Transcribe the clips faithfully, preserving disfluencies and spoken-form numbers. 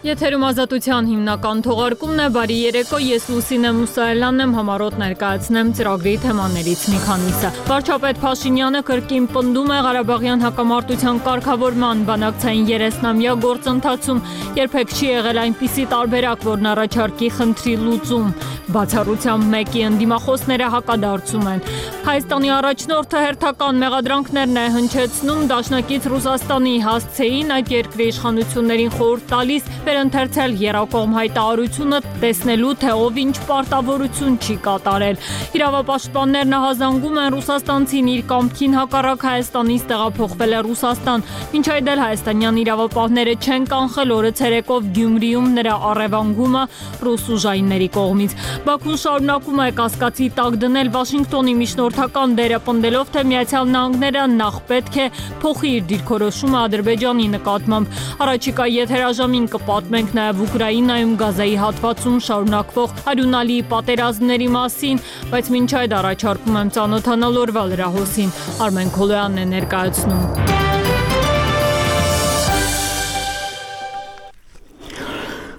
Եթերում ազատության հիմնական թողարկումն է, բարի երեկո, ես Լուսինե Մուսայելյանն եմ, համառոտ ներկայացնեմ ծրագրի թեմաներից մի քանիսը։ Վարչապետ Փաշինյանը կրկին պնդում է Ղարաբաղյան հակամարտության կարգավորման բանակցային երեսնամյա գործընթացում, երբեք չի եղել այնպիսի տարբերակ, որն առաջարկի խնդրի լուծում, բացառությամբ մեկի ընդդիմախոսները հակադարձում են։ Հայաստանի առաջնորդը հերթական մեղադրանքներն է հնչեցնում դաշնակից Ռուսաստանի հասցեին, այդ երկրի իշխանություններին խորհուրդ տալիս վերընթերցել եռակողմ հայտարարությունը, տեսնելու թե ով ինչ պարտավորություն չի կատարել։ Իրավապաշտպաններն ահազանգում են ռուսաստանցին իր կամքին հակառակ Հայաստանից տեղափոխվել է Ռուսաստան, մինչ այդ էլ հայաստանյան իրավապահները չեն կանխել օրը ցերեկով Գյումրիում նրա առևանգումը ռուս ուժայինների կողմից։ Բաքուն շարունակում է կասկածի տակ դնել Վաշինգտոնի միջնորդական դերը, պնդելով, թե Միացյալ Նահանգները նախ պետք է փոխի իր դիրքորոշումը Ադրբեջանի նկատմամբ։ Առաջիկա եթերաժամին կպատմենք նաև Ուկրաինայում Գազայի հատվածում շարունակվող արյունալի պատերազմների մասին, բայց մինչ այդ առաջարկում եմ ծանոթանալ օրվա լրահոսին։ Արմեն Քոլոյանն է ներկայացնում։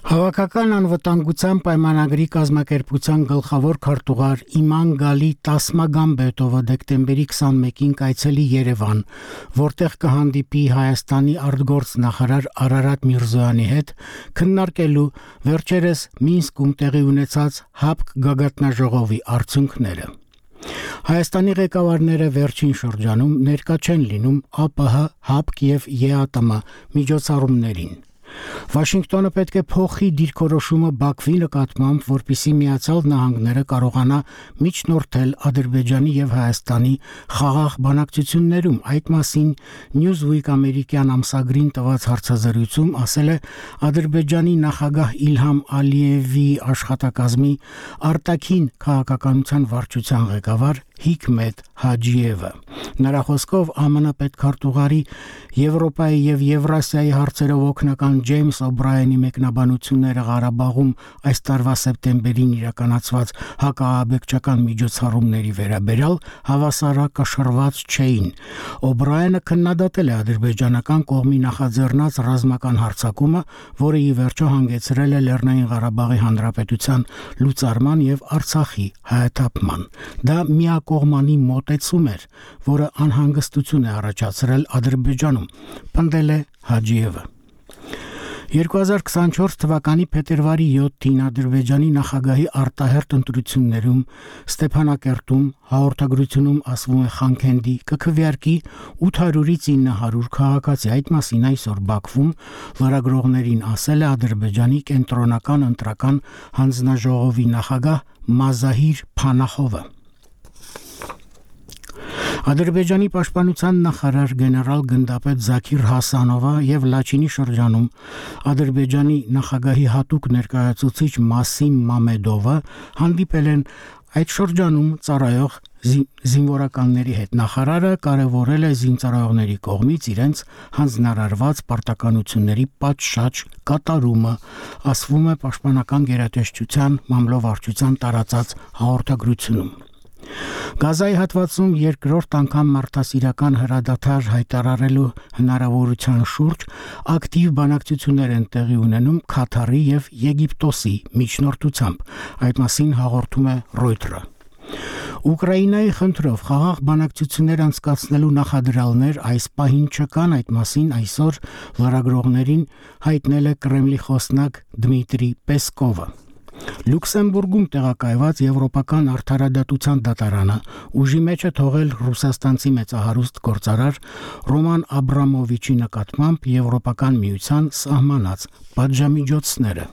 Հավաքական անվտանգության պայմանագրի կազմակերպության գլխավոր քարտուղար Իմանգալի Տասմագամբետովը դեկտեմբերի քսանմեկին կայցելի Երևան, որտեղ կհանդիպի Հայաստանի արտգործնախարար Արարատ Միրզոյանի հետ, քննարկելու վերջերս Մինսկում տեղի ունեցած ՀԱՊԿ գագաթնաժողովի արդյունքները։ Հայաստանի ղեկավարները վերջին շրջանում ներկա չեն լինում ԱՊՀ, ՀԱՊԿ և ԵԱՏՄ միջոցառումներին։ Վաշինգտոնը պետք է փոխի դիրքորոշումը Բաքվի նկատմամբ, որպեսզի Միացյալ Նահանգները կարողանա միջնորդել Ադրբեջանի և Հայաստանի խաղաղ բանակցություններում։ Այդ մասին Newsweek ամերիկյան ամսագրին տված հարցազրույցում ասել է Ադրբեջանի նախագահ Իլհամ Ալիևի աշխատակազմի արտաքին քաղաքականության վարչության ղեկավար Հիկմետ Հաջիևը։ Նրա խոսքով ԱՄՆ պետքարտուղարի Եվրոպայի և Եվրասիայի հարցերով օգնական Ջեյմս Օբրայենի մեկնաբանությունները Ղարաբաղում այս տարվա սեպտեմբերին իրականացված հակաահաբեկչական միջոցառումների վերաբերյալ հավասարակշռված չէին։ Օբրայենը քննադատել է ադրբեջանական կողմի նախաձեռնած ռազմական հարձակումը, որը ի վերջո հանգեցրել է Լեռնային Ղարաբաղի Հանրապետության լուծարման և Արցախի հայաթափման։ Դա միակողմանի մոտեցում էր, որը անհանգստություն է առաջացրել Ադրբեջանում, պնդել է Հաջիևը։ երկու հազար քսանչորս թվականի փետրվարի յոթին Ադրբեջանի նախագահի արտահերթ ընտրություններում Ստեփանակերտում հաղորդագրությունում ասվում է Խանքենդի կքվեարկի ութ հարյուրից ինը հարյուր քաղաքացի։ Այդ մասին այսօր Բաքվում լրագրողներին ասել է Ադրբեջանի կենտրոնական ընտրական հանձնաժողովի նախագահ Մազահիր Փանախովը։ Ադրբեջանի պաշտպանության նախարար գեներալ գնդապետ Զաքիր Հասանովը և Լաչինի շրջանում Ադրբեջանի նախագահի հատուկ ներկայացուցիչ Մասիմ Մամեդովը հանդիպել են այդ շրջանում ծառայող զինվորականների հետ։ Նախարարը կարևորել է զինծառայողների կողմից իրենց հանձնարարված պարտականությունների պատշաճ կատարումը, ասվում է պաշտպանական գերատեսչության մամլովարչության տարածած հաղորդագրությունում։ Գազայի հատվածում երկրորդ անգամ մարդասիրական հրադադար հայտարարելու հնարավորության շուրջ ակտիվ բանակցություններ են տեղի ունենում Քաթարի և Եգիպտոսի միջնորդությամբ։ Այդ մասին հաղորդում է Reuters-ը։ Ուկրաինայի խնդրով խաղաղ բանակցություններ անցկացնելու նախադրյալներ այս պահին չկան, այդ մասին այսօր լրագրողներին հայտնել է Կրեմլի խոսնակ Դմիտրի Պեսկովը։ Լյուքսեմբուրգում տեղակայված Եվրոպական արդարադատության դատարանը ուժի մեջ է թողել ռուսաստանցի մեծահարուստ գործարար Ռոման Աբրամովիչի նկատմամբ Եվրոպական միության սահմանած պատժամիջոցները։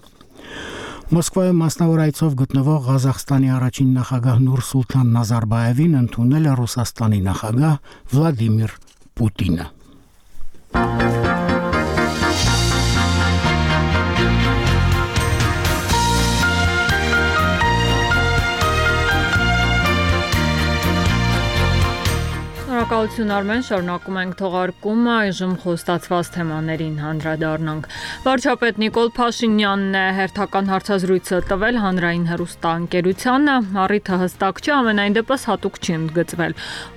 Մոսկվայում մասնավոր այցով գտնվող Ղազախստանի առաջին նախագահ Նուրսուլթան Նազարբաևին ընդունել է Ռուսաստանի նախագահ Վլադիմիր Պուտինը։ Շնորհակալ Շնորհակալություն Արմեն, շարունակում ենք թողարկումը, այժմ խոստացված թեմաներին հանդրադառնանք։ Վարչապետ Նիկոլ Փաշինյանն է հերթական հարցազրույցը տվել հանրային հեռուստաընկերությանը, առիթը հստակ չէ, ամենայն դեպս հատուկ չի ընդգծվել։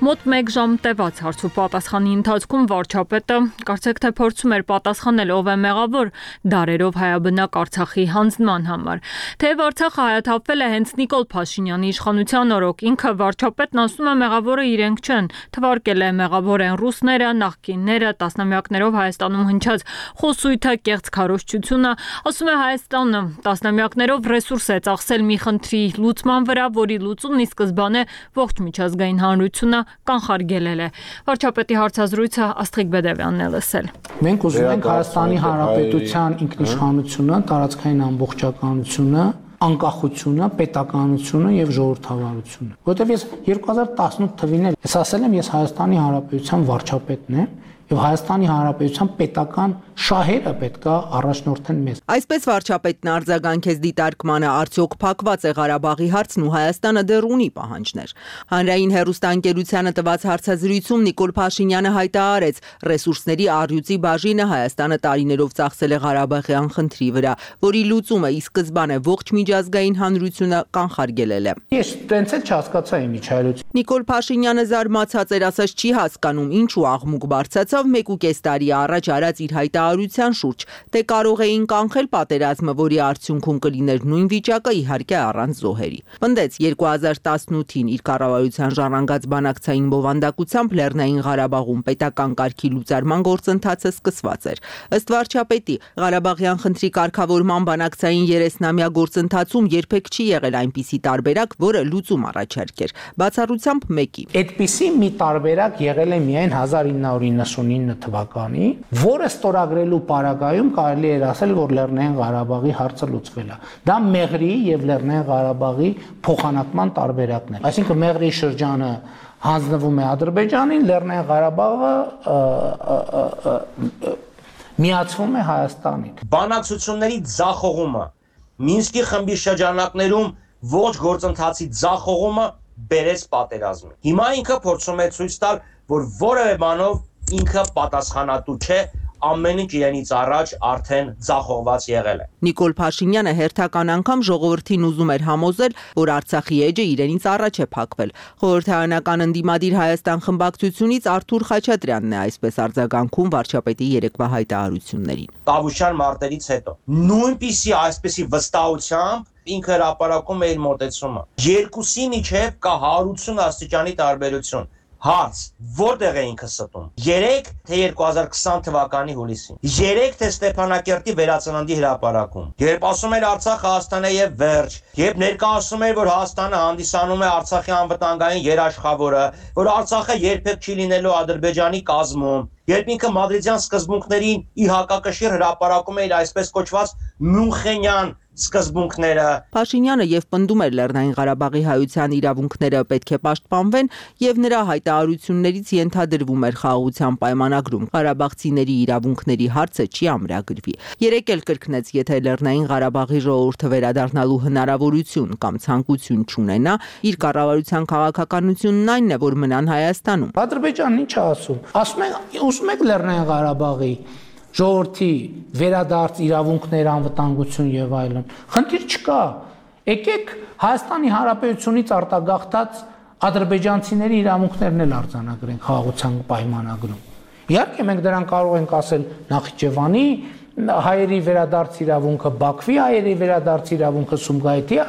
Մոտ մեկ ժամ տևած հարց ու պատասխանի ընթացքում վարչապետը կարծեք թե փորձում էր պատասխանել ով է մեղավոր դարերով հայաբնակ Արցախի հանձնման համար։ Թեև Արցախը հայաթափվել է հենց Նիկոլ Փաշինյանի իշխանության օրոք, ինքը վարչապետն ասում է մեղավորը իրենք չեն, թվարկել է մեղավոր են ռուսները, նախկինները, տասնամյակներով Հայաստանում հնչած խոսույթը, կեղծ քարոզչությունը, ասում է Հայաստանը տասնամյակներով ռեսուրս է ծախսել մի խնդրի լուծման վրա, որի լուծումն ի սկզբանե ողջ միջազգային հանրությունը կանխարգելել է։ Վարչապետի հարցազրույցը Աստղիկ Բեդևյանն է լսել։ Մենք ուզում ենք Հայաստանի Հանրապետության ինքնիշխանությունը, տարածքային ամբողջականությունը, անկախությունը, պետականությունը եւ ժողովրդավարությունը։ Որտեւ ես երկու հազար տասնութ թվին էլ ես ասել եմ, ես Հայաստանի Հանրապետության վարչապետն եմ եւ Հայաստանի Հանրապետության պետական շահերը պետքա առաջնորդեն մեզ։ Այսպես վարչապետն արձագանքեց դիտարկմանը, արդյոք փակված է Ղարաբաղի հարցն ու Հայաստանը դեռ ունի պահանջներ։ Հանրային հեռուստաընկերությանը տված հարցազրույցում Նիկոլ Փաշինյանը հայտարարեց, ռեսուրսների առյուծի բաժինը Հայաստանը տարիներով ծախսել է Ղարաբաղյան խնդրի վրա, որի լուծումը ի սկզբանե ողջ միջազգային հանրությունը կանխարգելել է։ Ես տենց էլ չհասկացա իմիջայլոց։ Նիկոլ Փաշինյանը զարմացած էր, ասաց չի հասկանում ինչու աղմուկ բարձրացավ մեկ ու կես տարի առաջ արած իր հայտարարության շուրջ, թե կարող էին կանխել պատերազմը, որի արդյունքում կլիներ նույն վիճակը, իհարկե առանց զոհերի։ Պնդեց երկու հազար տասնութին իր կառավարության ժառանգած բանակցային բովանդակությամբ Լեռնային Ղարաբաղում պետական կարգի լուծարման գործընթացը սկսված էր։ Ըստ վարչապետի, Ղարաբաղյան խնդրի կարգավորման բանակցային երեսնամյա գործընթացում երբեք չի եղել այնպիսի տարբերակ, որը լուծում առաջարկեր, բացառությամբ մեկի։ Այդպիսի մի տարբերակ եղել է միայն հազար ինը հարյուր իննսունինը թվականի, որը ստորագրելու պարագայում կարելի էր ասել, որ Լեռնային Ղարաբաղի հարցը լուծվել է։ Դա Մեղրիի եւ Լեռնային Ղարաբաղի փոխանակման տարբերակն է։ Այսինքն Մեղրիի շրջանը հանձնվում է Ադրբեջանին, Լեռնային Ղարաբաղը միացվում է Հայաստանին։ Բանակցությունների ձախողումը, Մինսկի խմբի շրջանակներում ողջ գործընթացի ձախողումը բերեց պատերազմի։ Հիմա ինքը փորձում է ցույց տալ, որ որևէ բանով ինքը պատասխանատու չէ, ամեն ինչ իրենից առաջ արդեն ձախողված եղել է։ Նիկոլ Փաշինյանը հերթական անգամ ժողովրդին ուզում էր համոզել, որ Արցախի էջը իրենից առաջ է փակվել։ Խորհրդարանական ընդդիմադիր Հայաստան խմբակցությունից Արթուր Խաչատրյանն է այսպես արձագանքում վարչապետի երեկվա հայտարարություններին։ Տավուշյան մարտերից հետո նույնպիսի այսպիսի վստահությամբ ինքը հրապարակում է իր մոտեցումը։ Երկուսի միջև կա հարյուրություն աստիճանի տարբերություն։ Հարց, որտեղ է ինքը ստում։ Երեք թե երկու հազար քսան թվականի հուլիսին։ Երեք թե Ստեփանակերտի վերածննդի հրապարակում։ Երբ ասում էր Արցախը Հայաստան է եւ վերջ, երբ ներկայացնում էր, որ Հայաստանը հանդիսանում է Արցախի անվտանգային երաշխավորը, որ Արցախը երբեք չի լինելու Ադրբեջանի կազմում, երբ ինքը մադրիդյան սկզբունքներին ի հակակշիռ հրապարակում էր այսպես կոչված Մյունխենյան սկզբունքները։ Փաշինյանը եւ պնդում էր Լեռնային Ղարաբաղի հայության իրավունքները պետք է պաշտպանվեն եւ նրա հայտարարություններից ենթադրվում էր խաղաղության պայմանագրում ղարաբաղցիների իրավունքների հարցը չի ամրագրվի։ Երեք էլ կրկնեց, եթե Լեռնային Ղարաբաղի ժողովուրդը վերադառնալու հնարավորություն կամ ցանկություն չունենա, իր կառավարության քաղաքականությունն այնն է, որ մնան Հայաստանում։ Ադրբեջանն ինչ է ասում։ Ասում են, ուզում եք Լեռնային Ղարաբաղի ժողովրդի վերադարձ իրավունքներ, անվտանգություն եւ այլն։ Խնդիր չկա։ Եկեք Հայաստանի Հանրապետությունից արտագաղթած ադրբեջանցիների իրավունքներն էլ արձանագրենք խաղաղության պայմանագրում։ Իհարկե մենք դրան կարող ենք ասել Նախիջևանի հայերի վերադարձ իրավունքը, Բաքվի հայերի վերադարձ իրավունքը, Սումգայիթի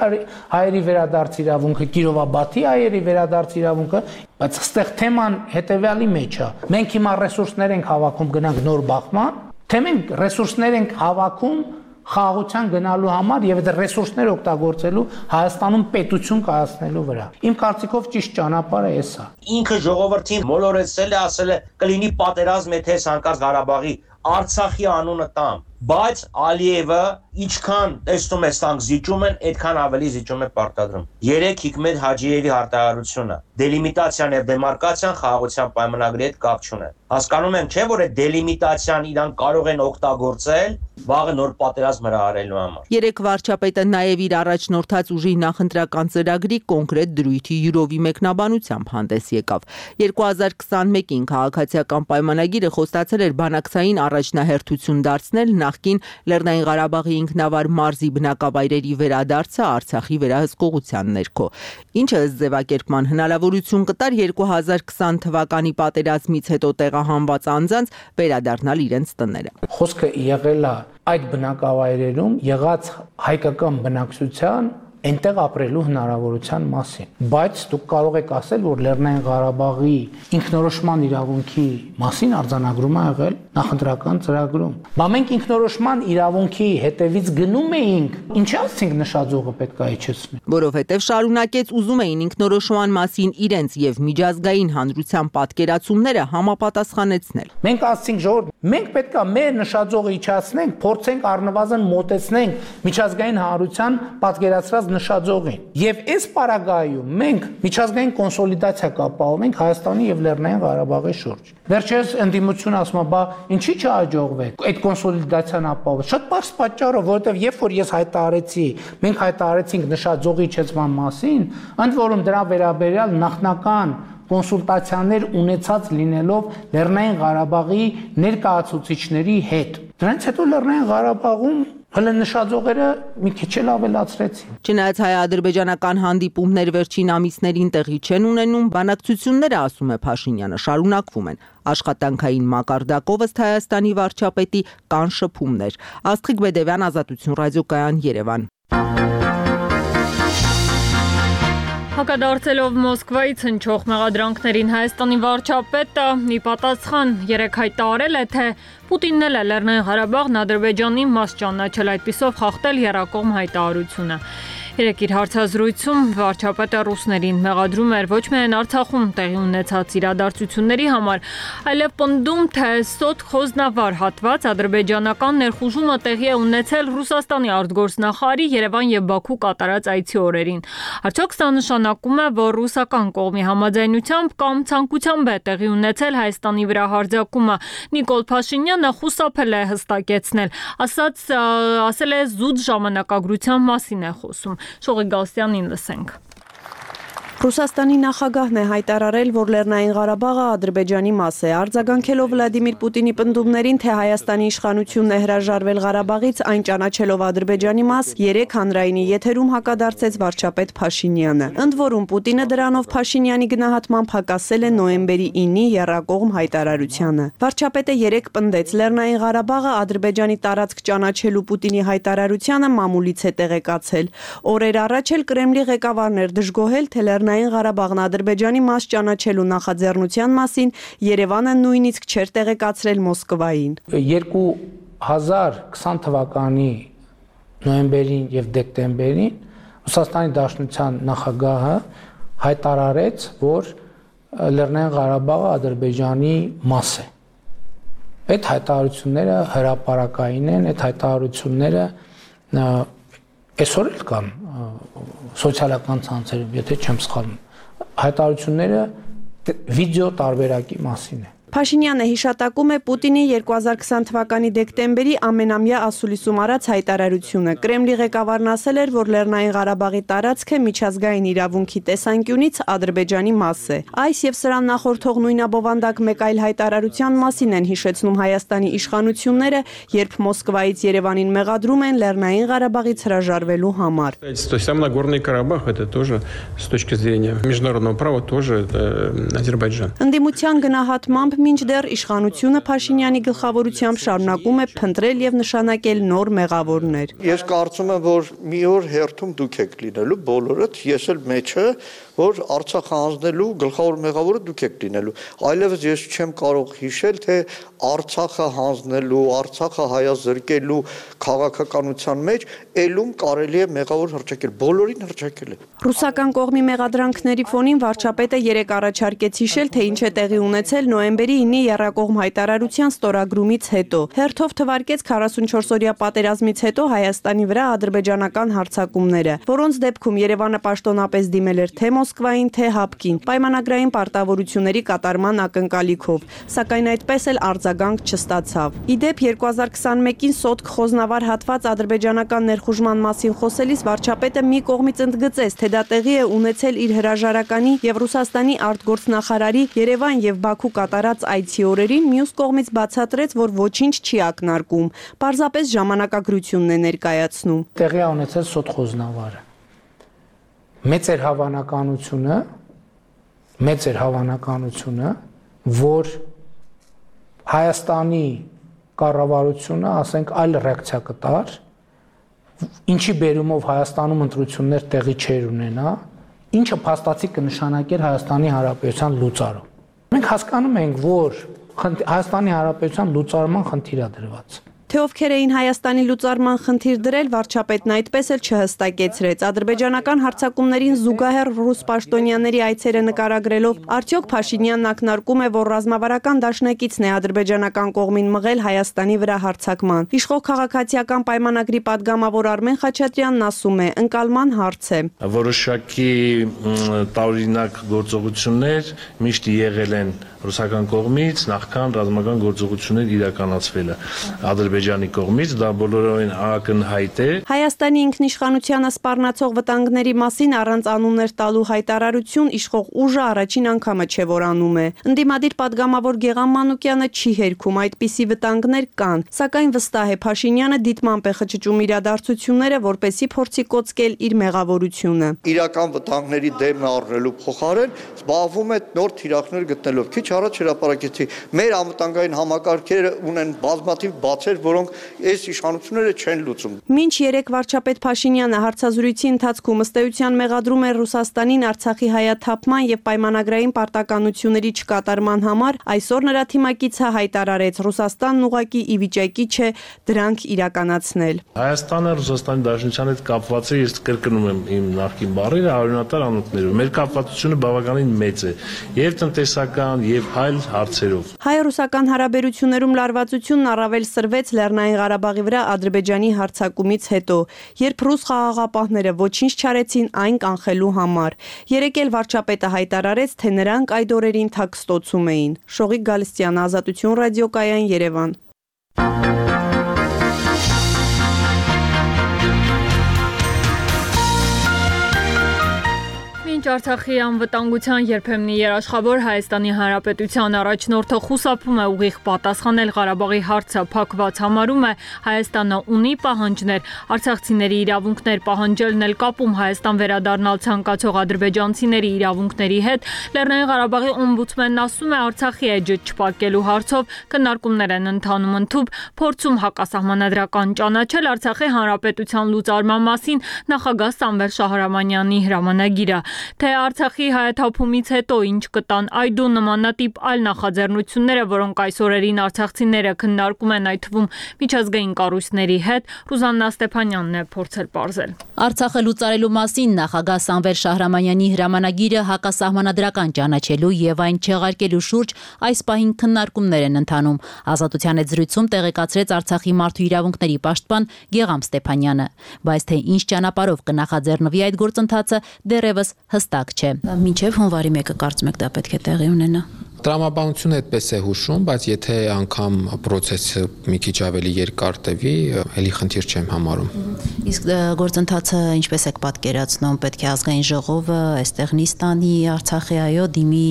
հայերի վերադարձ իրավունքը, Կիրովաբադի հայերի վերադարձ իրավունքը, բայց այստեղ թեման հետեւյալի մեջ է։ Մենք հիմա ռեսուրսներ ենք հավաքում գնանք նոր բախման, թե մենք ռեսուրսներ ենք հավաքում խաղաղության գնալու համար եւ այդ ռեսուրսները օգտագործելու Հայաստանում պետություն կայացնելու վրա։ Իմ կարծիքով ճիշտ ճանապարհը էսա։ Ինքը ժողովրդին մոլորեցել է, ասել է կլինի պատերազմ, եթե հանկարծ Ղարաբաղի Արցախի անունը տամ, բայց Ալիևը Ինչքան տեսնում ես տանք զիջում են, այդքան ավելի զիջում է պարտադրում։ Երեք Հիկմետ Հաջիևի հարտահարությունը դելիմիտացիան եւ դեմարկացիան խաղաղության պայմանագրի հետ կապ չունեն։ Հասկանում եմ, չէ՞ որ այդ դելիմիտացիան իրան կարող են օգտագործել վաղը նոր պատերազմ հրահարելու համար։ Երեք վարչապետը նաև իր առաջնորդած ուժի նախընտրական ծրագրի կոնկրետ դրույթի յուրովի մեկնաբանությամբ հանդես եկավ։ երկու հազար քսանմեկին քաղաքացիական պայմանագիրը խոստացել էր բանակցային առաջնահերթություն դարձնել նախկին Լեռնային Ղարաբաղի ինքնավար մարզի բնակավայրերի վերադարձը Արցախի վերահսկողության ներքո, ինչը ըստ ձևակերպման հնարավորություն կտար երկու հազար քսան թվականի պատերազմից հետո տեղահանված անձանց վերադառնալ իրենց տները։ Խոսքը եղել է այդ բնակավայրերում եղած հայկական բնակչության այնտեղ ապրելու հնարավորության մասին, բայց դուք կարող եք ասել, որ Լեռնային Ղարաբաղի ինքնորոշման իրավունքի մասին արձանագրում է եղել նախընտրական ծրագրում։ Բա մենք ինքնորոշման իրավունքի հետևից գնում էինք, ինչի՞ ասենք նշաձողը պետք է իջեցնի։ Որովհետև շարունակեց ուզում էին ինքնորոշման մասին իրենց եւ միջազգային հանրության պատկերացումները համապատասխանեցնել։ Մենք ասենք ժողովուրդ, մենք պետք է մեր նշաձողը իջացնենք, փորձենք առնվազն մոտեցնենք միջազգային հանրության պատկերացրած նշաձողին։ Եվ այս պարագայում մենք միջազգային կոնսոլիդացիա կապահովենք Հայաստանի եւ Լեռնային Ղարաբաղի շուրջ։ Վերջերս ընդդիմությունը ասում է, բա ինչի՞ չհաջողվեք այդ կոնսոլիդացիան ապահովել։ Շատ բարձ պատճառով, որովհետեւ երբ որ ես հայտարարեցի, մենք հայտարարեցինք նշաձողի իջեցման մասին, ընդ որում դրա վերաբերյալ նախնական կոնսուլտացիաներ ունեցած լինելով Լեռնային Ղարաբաղի ներկայացուցիչների հետ։ Դրանից հետո Լեռնային Ղարաբաղում հələ նշաձողերը մի քիչ էլ ավելացրեցին։ Չնայած հայ-ադրբեջանական հանդիպումներ վերջին ամիսներին տեղի չեն ունենում, բանակցությունները, ասում է Փաշինյանը, շարունակվում են։ Աշխատանքային մակարդակով ըստ Հայաստանի վարչապետի կան շփումներ։ Աստղիկ Բեդևյան, Ազատություն ռադիոկայան, Երևան։ Հակադարձելով Մոսկվայից հնչող մեղադրանքներին Հայաստանի վարչապետը մի պատասխան երեկ հայտարարել է, թե Պուտինն էլ է Լեռնային Ղարաբաղն Ադրբեջանի մաս ճանաչել, այդպիսով խախտել եռակողմ հայտարարությունը։ Երեկ իր հարցազրույցում վարչապետը ռուսներին մեղադրում էր ոչ միայն Արցախում տեղի ունեցած իրադարձությունների համար, այլև պնդում, թե Սոտ Խոզնավար հատված ադրբեջանական ներխուժումը տեղի է ունեցել Ռուսաստանի արտգործնախարարի Երևան եւ Բաքու կատարած այցի օրերին։ Արդյոք սա նշանակում է, որ ռուսական կողմի համաձայնությամբ կամ ցանկությամբ է տեղի ունեցել Հայաստանի վրա հարձակումը։ Նիկոլ Փաշինյանը խուսափել է հստակեցնել, ասաց, ասել է զուտ ժամանակագրության մասին է խոսում։ Շողի Գալստյանին լսենք։ Ռուսաստանի նախագահն է հայտարարել, որ Լեռնային Ղարաբաղը Ադրբեջանի մաս է, արձագանքելով Վլադիմիր Պուտինի պնդումներին, թե Հայաստանի իշխանությունն է հրաժարվել Ղարաբաղից, այն ճանաչելով Ադրբեջանի մաս, երեկ հանրայինի եթերում հակադարձեց վարչապետ Փաշինյանը։ Ընդ որում Պուտինը դրանով Փաշինյանի գնահատմամբ հակասել է նոյեմբերի ինի եռակողմ հայտարարությանը։ Վարչապետը երեկ պնդեց, Լեռնային Ղարաբաղը Ադրբեջանի տարածք ճանաչելու Պուտինի հայտարարությանը մամուլից է տեղեկացել։ Օրեր առաջ էլ Կրեմլի ղեկավարն էր դժգոհել, թե Լեռնային Ղարաբաղն Ադրբեջանի մաս ճանաչելու նախաձեռնության մասին Երևանը նույնիսկ չէր տեղեկացրել Մոսկվային։ երկու հազար քսան թվականի նոյեմբերին եւ դեկտեմբերին Ռուսաստանի Դաշնության նախագահը հայտարարեց, որ Լեռնային Ղարաբաղը Ադրբեջանի մաս է։ Այդ հայտարարությունները հրապարակային են, այդ հայտարարությունները այսօր էլ կան սոցիալական ցանցերում, եթե չեմ սխալվում, հայտարարությունները վիդեո տարբերակի մասին է։ Փաշինյանը հիշատակում է Պուտինի երկու հազար քսան թվականի դեկտեմբերի ամենամյա ասուլիսում արած հայտարարությունը։ Կրեմլի ղեկավարն ասել էր, որ Լեռնային Ղարաբաղի տարածքը միջազգային իրավունքի տեսանկյունից Ադրբեջանի մաս է։ Այս եւ սրան նախորդող նույնաբովանդակ մեկ այլ հայտարարության մասին են հիշեցնում Հայաստանի իշխանությունները, երբ Մոսկվայից Երևանին մեղադրում են Լեռնային Ղարաբաղից հրաժարվելու համար։ То есть сам Нагорный Карабах это тоже с точки зрения международного права тоже Азербайджан. Ընդդիմության գնահատմամբ մինչդեռ իշխանությունը Փաշինյանի գլխավորությամբ շարունակում է փնտրել եւ նշանակել նոր մեղավորներ։ Ես կարծում եմ, որ մի օր հերթում դուք եք լինելու բոլորդ, ես էլ մեջը, որ Արցախը հանձնելու գլխավոր մեղավորը դուք եք լինելու։ Այլևս ես չեմ կարող հիշել, թե Արցախը հանձնելու, Արցախը հայազրկելու քաղաքականության մեջ ելում կարելի է մեղավոր հռչակել, բոլորին հռչակել է։ Ռուսական կողմի մեղադրանքների ֆոնին վարչապետը երեկ առաջարկեց հիշել, թե ինչ է տեղի ունեցել նոյեմբերի ինի եռակողմ հայտարարության ստորագրումից հետո։ Հերթով թվարկեց քառասունչորս-օրյա պատերազմից հետո Հայաստանի վրա ադրբեջանական հարձակումները, որոնց դեպքում Երևանը պաշտոնապես դիմել էր թե Մոսկվային, թե Հապկին, պայմանագրային պարտավորությունների կատարման ակնկալիքով, սակայն այդպես էլ արձագանք չստացավ։ Ի դեպ երկու հազար քսաներկին Սոտք խոզնավար հատված ադրբեջանական ներխուժման մասին խոսելիս վարչապետը մի կողմից ընդգծեց, թե դա տեղի է ունեցել իր հրաժարականի եւ Ռուսաստանի արտգործնախարարի Երևան եւ Բաքու կատարած այցի օրերին, մյուս կողմից բացատրեց, որ ոչինչ չի ակնարկում, պարզապես ժամանակագրությունն է ներկայացնում։ Տեղի է ունեցել Սոտ խոզնավարը։ Մեծ էր հավանականությունը, մեծ էր հավանականությունը, որ Հայաստանի կառավարությունը, ասենք, այլ ռեակցիա կտար, ինչի բերումով Հայաստանում ընտրություններ տեղի չէր ունենա, ինչը փաստացի կնշանակեր Հայաստանի Հանրապետության լուծարում։ Մենք հասկանում ենք, որ Հայաստանի Հանրապետության լուծարման խնդիր է դրված։ Թե ովքեր էին Հայաստանի լուծարման խնդիր դրել, վարչապետն այդպես էլ չհստակեցրեց։ Ադրբեջանական հարձակումներին զուգահեռ ռուս պաշտոնյաների այցերը նկարագրելով, արդյոք Փաշինյանն ակնարկում է, որ ռազմավարական դաշնակիցն է ադրբեջանական կողմին մղել Հայաստանի վրա հարձակման։ Իշխող քաղաքացիական պայմանագրի падգամավոր Արմեն Խաչատրյանն ասում է, ընկալման հարց է։ Որոշակի տարօրինակ գործողություններ միշտ եղել են ռուսական կողմից, նախքան ռազմական գործողություններ իրականացվելը Ադրբեջանի կողմից, դա բոլորովին ակնհայտ է։ Հայաստանի ինքնիշխանությանը սպառնացող վտանգների մասին առանց անուններ տալու հայտարարություն իշխող ուժը առաջին անգամը չէ, որ անում է։ Ընդդիմադիր падգամավոր Գեղամ Մանուկյանը չի հերքում, այդպիսի վտանգներ կան, սակայն վստահ է Փաշինյանը դիտմամբ է խճճում իրադարձությունները, որպեսզի փորձի կոծկել իր մեղավորությունը։ Իրական վտանգների դեմն առնելու փոխարեն զբաղվում է նոր թիրախներ գտնելով։ Քիչ առաջ հրապարակեցի, մեր անվտանգային համակարգերը ունեն բազմաթիվ բացեր, որոնք այս իշխանությունները չեն լուծում։ Մինչ երեք վարչապետ Փաշինյանը հարցազրույցի ընթացքում ըստ էության մեղադրում էր Ռուսաստանին Արցախի հայաթափման եւ պայմանագրային պարտականությունների չկատարման համար, այսօր նրա թիմակիցը հայտարարեց, Ռուսաստանն ուղղակի ի վիճակի չէ դրանք իրականացնել։ Հայաստանը Ռուսաստանի Դաշնության հետ կապված է, ես կրկնում եմ իմ նախկին բառերը, արյունատար անոթներով։ Մեր կապվածությունը բավականին մեծ է, եւ տնտեսական, եւ այլ հարցերով։ Հայ-ռուսական հարաբերություններում լարվածությունն առավել սրվեց Լեռնային Ղարաբաղի վրա Ադրբեջանի հարձակումից հետո, երբ ռուս խաղաղապահները ոչինչ չարեցին այն կանխելու համար։ Երեկ էլ վարչապետը հայտարարեց, թե նրանք այդ օրերին թաքստոցում էին։ Շողիկ Գալստյան, Ազատություն ռադիոկայան, Երևան։ Մինչ Արցախի անվտանգության երբեմնի երաշխավոր Հայաստանի Հանրապետության առաջնորդը խուսափում է ուղիղ պատասխանել Ղարաբաղի հարցը փակված համարում է, Հայաստանը ունի պահանջներ, արցախցիների իրավունքներ պահանջելն էլ կապում Հայաստան վերադառնալ ցանկացող ադրբեջանցիների իրավունքների հետ, Լեռնային Ղարաբաղի օմբուդսմենն ասում է, Արցախի էջը չփակելու հարցով քննարկումներ են ընթանում ընդհուպ, փորձում հակասահմանադրական ճանաչել Արցախի Հանրապետության լուծարման մասին նախագահ Սամվել Շահրամանյանի հրամանագիրը։ Թե Արցախի հայաթափումից հետո ինչ կտան այդու նմանատիպ այլ նախաձեռնությունները, որոնք այս օրերին արցախցիները քննարկում են այդ թվում միջազգային կառույցների հետ, Ռուզաննա Ստեփանյանն է փորձել պարզել։ Արցախը լուծարելու մասին նախագահ Սամվել Շահրամանյանի հրամանագիրը հակասահմանադրական ճանաչելու եւ այն չեղարկելու շուրջ այս պահին քննարկումներ են ընթանում։ Ազատության հետ զրույցում տեղեկացրեց Արցախի մարդու իրավունքների պաշտպան Գեղամ Ստեփանյանը, բայց թե ինչ ճանապարհով կնախաձեռնվի այդ գործընթացը դեռևս հստակ չէ։ Մինչև հունվարի մեկը կարծում եք դա պետք է տեղի ունենա։ Տրամաբանությունը այդպես է հուշում, բայց եթե անգամ process-ը մի քիչ ավելի երկար տևի, ելի խնդիր չեմ համարում։ Իսկ գործընթացը ինչպես եք պատկերացնում, պետք է ազգային ժողովը այստեղ նիստանի Արցախի այո դիմի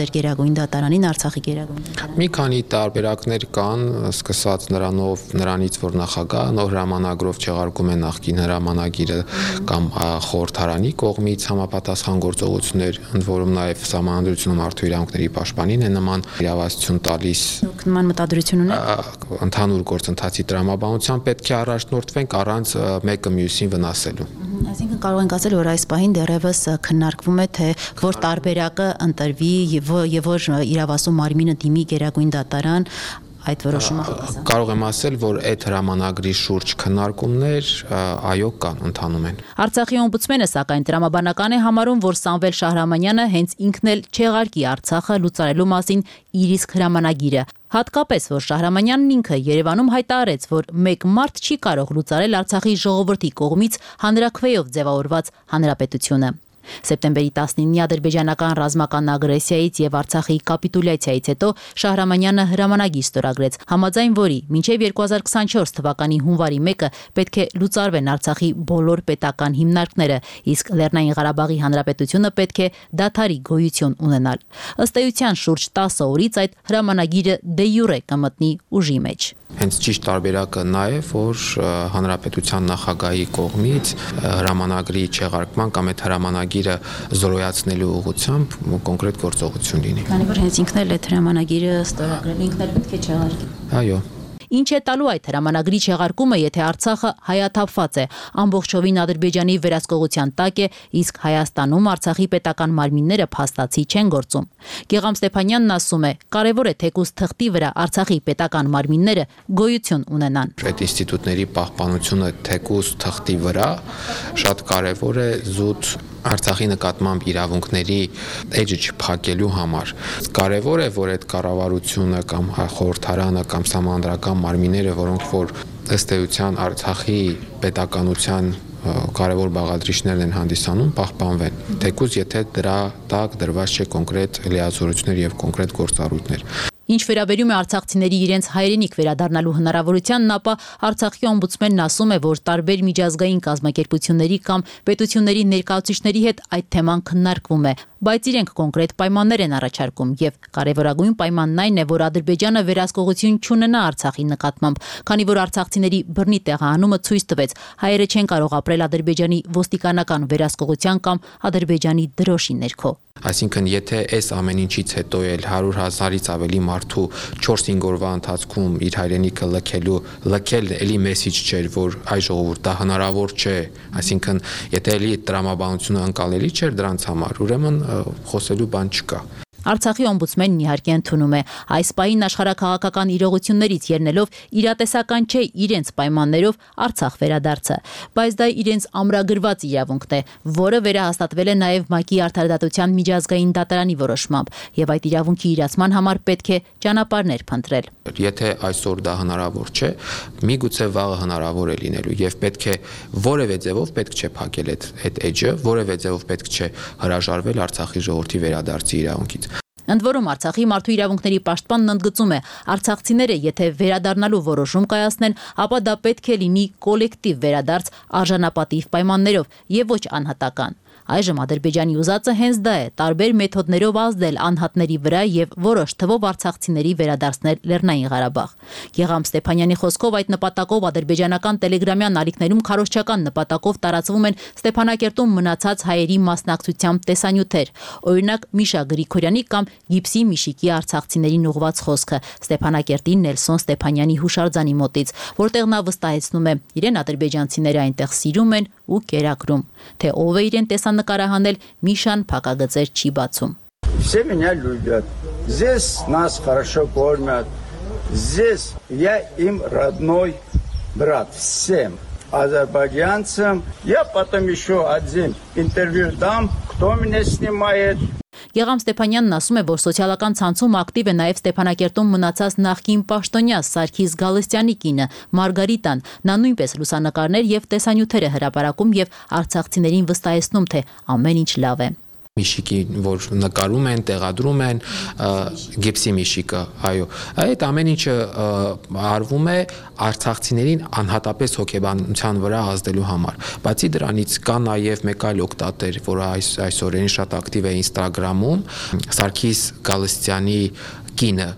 ձեր գերագույն դատարանին, Արցախի գերագույն դատարանին։ Մի քանի տարբերակներ կան, սկսած նրանով, նրանից, որ նախագահ նոր հրամանագրով չեղարկում է նախկին հրամանագիրը կամ խորհրդարանի կողմից համապատասխան գործողություններ, ընդ որում նաև Սահմանադրությունը մարդու իրավունքների պաշտպանին է նման իրավասություն տալիս։ Դուք նման մտադրություն ունեք։ Ընդհանուր գործընթացի տրամաբանությամբ պետք է առաջնորդվենք առանց մեկը մյուսին վնասելու։ Այսինքն կարող ենք ասել, որ այս պահին դեռևս քննարկվում է, թե որ տարբերակը ընտրվի եւ որ իրավասու մարմինը դիմի Գերագույն դատարան այդ որոշումը հավասար։ Կարող եմ ասել, որ այդ հրամանագրի շուրջ քննարկումներ այո կան, ընթանում են։ Արցախի օմբուդսմենը սակայն տրամաբանական է համարում, որ Սամվել Շահրամանյանը հենց ինքն էլ չեղարկի Արցախը լուծարելու մասին իր իսկ հրամանագիրը։ Հատկապես, որ Շահրամանյանն ինքը Երևանում հայտարարեց, որ մեկ մարդ չի կարող լուծարել Արցախի ժողովրդի կողմից հանրաքվեով ձևավորված հանրապետությունը։ Սեպտեմբերի տասնինի ադրբեջանական ռազմական ագրեսիայից եւ Արցախի կապիտուլյացիայից հետո Շահրամանյանը հրամանագիր ստորագրեց, համաձայն որի մինչեւ երկու հազար քսանչորս թվականի հունվարի մեկը պետք է լուծարվեն Արցախի բոլոր պետական հիմնարկները, իսկ Լեռնային Ղարաբաղի հանրապետությունը պետք է դադարի գոյություն ունենալ։ Ըստ էության շուրջ տասը օրից այդ հրամանագիրը դե յուրե կմտնի ուժի մեջ։ Հենց ճիշտ տարբերակը նա է, որ հանրապետության նախագահի կողմից հրամանագրի չեղարկման կամ այդ հրամանագիրը զորոյացնելու ուղղությամբ կոնկրետ գործողություն լինի։ Քանի որ հենց ինքն էլ այդ հրամանագիրը ստորագրել, ինքն էլ պետք է չեղարկի։ Այո։ Ինչ է տալու այդ հրամանագրի չեղարկումը, եթե Արցախը հայաթափված է, ամբողջովին Ադրբեջանի վերահսկողության տակ է, իսկ Հայաստանում Արցախի պետական մարմինները փաստացի չեն գործում։ Գեգամ Ստեփանյանն ասում է, կարևոր է թեկուզ թղթի վրա Արցախի պետական մարմինները գոյություն ունենան։ Այդ ինստիտուտների պահպանությունը թեկուզ թղթի վրա շատ կարևոր է զուտ Արցախի նկատմամբ իրավունքների էջը չփակելու համար։ Կարևոր է, որ այդ կառավարությունը կամ խորհրդարանը կամ համանդրական մարմինները, որոնք որ ըստ էության Արցախի պետականության կարևոր բաղադրիչներն են հանդիսանում, պահպանվեն։ Թեկուզ եթե դրա տակ դրված չէ կոնկրետ լիազորություններ եւ կոնկրետ գործառույթներ։ Ինչ վերաբերում է արցախցիների իրենց հայրենիք վերադառնալու հնարավորությանն, ապա Արցախի օմբուդսմենն ասում է, որ տարբեր միջազգային կազմակերպությունների կամ պետությունների ներկայացուցիչների հետ այդ թեման քննարկվում է, բայց իրենք կոնկրետ պայմաններ են առաջարկում եւ կարևորագույն պայմանն այն է, որ Ադրբեջանը վերահսկողություն չունենա Արցախի նկատմամբ, քանի որ արցախցիների բռնի տեղահանումը ցույց տվեց, հայերը չեն կարող ապրել Ադրբեջանի ոստիկանական վերահսկողության կամ Ադրբեջանի դրոշի ներքո։ Այսինքն, եթե այս ամեն ինչից հետո էլ հարյուր հազարից ավելի մարդու չորս-հինգ օրվա ընթացքում իր հայրենիքը լքելու լքել էլի մեսիջ չէր, որ այ ժողովուրդ դա հնարավոր չէ, այսինքն, եթե էլի տրամաբանությունը անցալելի չէր դրանց համար, ուրեմն խոսելու բան չկա։ Արցախի օմբուդսմենն իհարկե ընդունում է այս պահին աշխարհաքաղաքական իրողություններից ելնելով իրատեսական չէ իրենց պայմաններով Արցախ վերադարձը, բայց դա իրենց ամրագրված իրավունքն է, որը վերահաստատվել է նաև ՄԱԿ-ի արդարադատության միջազգային դատարանի որոշմամբ, եւ այդ իրավունքի իրացման համար պետք է ճանապարհներ փնտրել։ Եթե այսօր դա հնարավոր չէ, միգուցե վաղը հնարավոր է լինելու եւ պետք է որևէ ձևով պետք չէ փակել այդ այդ էջը, որևէ ձևով պետք չէ հրաժարվել Արցախի ժողովրդի վերադարձի իրավունքից։ Ընդ որում Արցախի մարդու իրավունքների պաշտպանն ընդգծում է, արցախցիները եթե վերադառնալու որոշում կայացնեն, ապա դա պետք է լինի կոլեկտիվ վերադարձ արժանապատիվ պայմաններով եւ ոչ անհատական։ Այժմ Ադրբեջանի ուզածը հենց դա է՝ տարբեր մեթոդներով ազդել անհատների վրա եւ որոշ թվով արցախցիների վերադարձնել Լեռնային Ղարաբաղ։ Գեգամ Ստեփանյանի խոսքով այդ նպատակով ադրբեջանական տելեգրամյան ալիքներում քարոզչական նպատակով տարածվում են Ստեփանակերտում մնացած հայերի մասնակցությամբ տեսանյութեր։ Օրինակ Միշա Գրիգորյանի կամ Գիպսի Միշիկի արցախցիներին ուղված խոսքը Ստեփանակերտի Նելսոն Ստեփանյանի հուշարձանի մոտից, որտեղ նա վստահեցնում է, իրեն ադրբեջանցիները այնտեղ սիրում են ու կերակրում, թե ով է իրեն տեսանկարահանել Միշան փակագծեր չի բացում։ Все меня любят. Здесь нас хорошо кормят. Здесь я им родной брат всем азербайджанцам. Я потом еще один интервью дам, кто меня снимает. Գեգամ Ստեփանյանն ասում է, որ սոցիալական ցանցում ակտիվ է նաև Ստեփանակերտում մնացած նախկին պաշտոնյա Սարգիս Գալստյանի կինը Մարգարիտան։ Նա նույնպես լուսանկարներ եւ տեսանյութեր է հրապարակում եւ արցախցիներին վստահեցնում, թե ամեն ինչ լավ է։ Միշիկի, որ նկարում են, տեղադրում են, Գիպսի Միշիկը, այո, այդ ամեն ինչը արվում է արցախցիներին անհատապես հոգեբանության վրա ազդելու համար։ Բացի դրանից կա նաև մեկ այլ օգտատեր, որը այս այսօրերին շատ ակտիվ է Ինստագրամում, Սարգիս Գալստյանի կինը,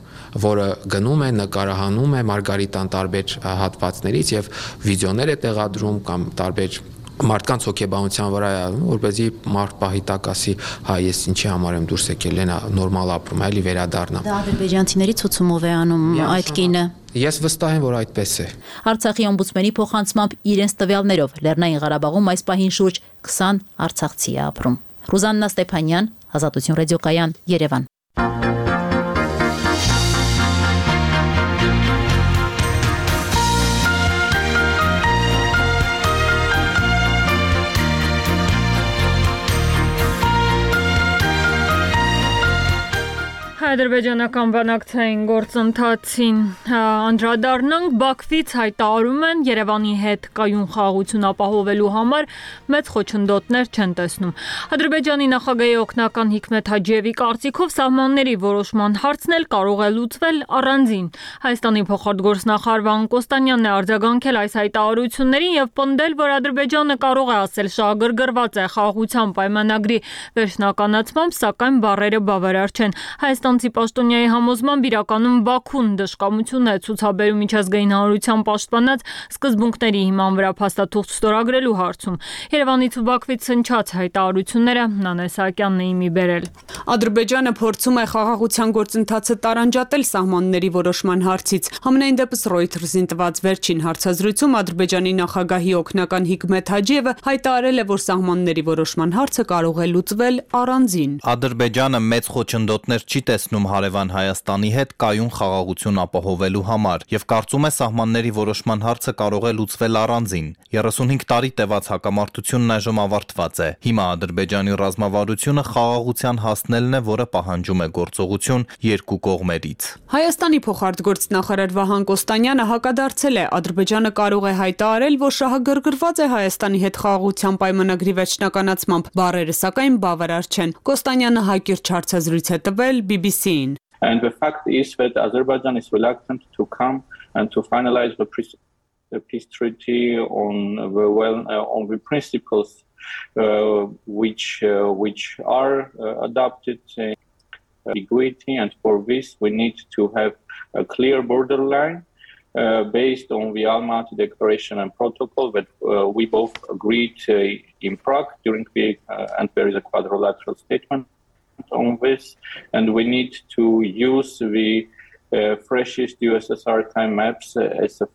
որը գնում է, նկարահանում է Մարգարիտան տարբեր հատվածներից եւ վիդեոներ է տեղադրում կամ տարբեր մարդկանց հոգեբանության վրա է անում, որպեսզի մարդ պահի տակ ասի, հա ես ինչի համար եմ դուրս եկել, են նորմալ ապրում, այլի վերադառնամ։ Դա ադրբեջանցիների ցուցումով է անում այդ կինը։ Ես վստահ եմ, որ այդպես է։ Արցախի օմբուդսմենի փոխանցմամբ իրենց տվյալներով Լեռնային Ղարաբաղում այս պահին շուրջ քսան արցախցի է ապրում։ Ռուզաննա Ստեփանյան, Ազատություն ռադիոկայան, Երևան։ Ադրբեջանական բանակցային գործընթացին անդրադառնանք, Բաքվից հայտարարում են Երևանի հետ կայուն խաղաղություն ապահովելու համար մեծ խոչընդոտներ չեն տեսնում։ Ադրբեջանի նախագահի օգնական Հիկմեթ Հաջիևի կարծիքով սահմանների որոշման հարցն էլ կարող է լուծվել առանձին։ Հայաստանի փոխարտգործնախարար Վահան Կոստանյանն է արձագանքել այս հայտարարություններին եւ պնդել, որ Ադրբեջանը կարող է ասել շահագրգռված է խաղաղության պայմանագրի վերջնականացմամբ, սակայն բառերը բավարար չեն։ Հայաստան Պաշտոնյայի համոզմամբ իրականում Բաքուն դժկամություն է ցուցաբերում միջազգային հանրության պաշտպանած սկզբունքների հիման վրա փաստաթուղթ ստորագրելու հարցում։ Երևանից ու Բաքվից հնչած հայտարարությունները Նանե Սահակյանն է իմի բերել։ Ադրբեջանը փորձում է խաղաղության գործընթացը տարանջատել սահմանների որոշման հարցից։ Համենայն դեպս Reuters-ին տված վերջին հարցազրույցում Ադրբեջանի նախագահի օգնական Հիկմեթ Հաջիևը հայտարարել է, որ սահմանների որոշման հարցը կարող է լուծվել առանձին։ Ադրբեջանը մեծ խոչընդոտներ չի տեսնում հարևան Հայաստանի հետ կայուն խաղաղություն ապահովելու համար եւ կարծում է սահմանների որոշման հարցը կարող է լուծվել առանձին։ երեսունհինգ տարի տևած հակամարտությունն այժմ ավարտված է։ Հիմա Ադրբեջանի ռազմավարությունը խաղաղության հասնելն է, որը պահանջում է գործողություն երկու կողմերից։ Հայաստանի փոխարտգործնախարար Վահան Կոստանյանը հակադարձել է, Ադրբեջանը կարող է հայտարարել, որ շահագրգռված է Հայաստանի հետ խաղաղության պայմանագրի վերջնականացմամբ, բառերը սակայն բավարար չեն։ Կոստանյանը հակիրճ հարցազրույց է տվել B B C-ին. And the fact is that Azerbaijan is reluctant to come and to finalize the, the peace treaty on the well uh, on the principles uh, which uh, which are uh, adopted in ambiguity, and for this we need to have a clear borderline uh, based on the Almaty Declaration and Protocol that uh, we both agreed uh, in Prague during the uh, and there is a quadrilateral statement on this, and we need to use the uh, freshest U S S R time maps uh, as a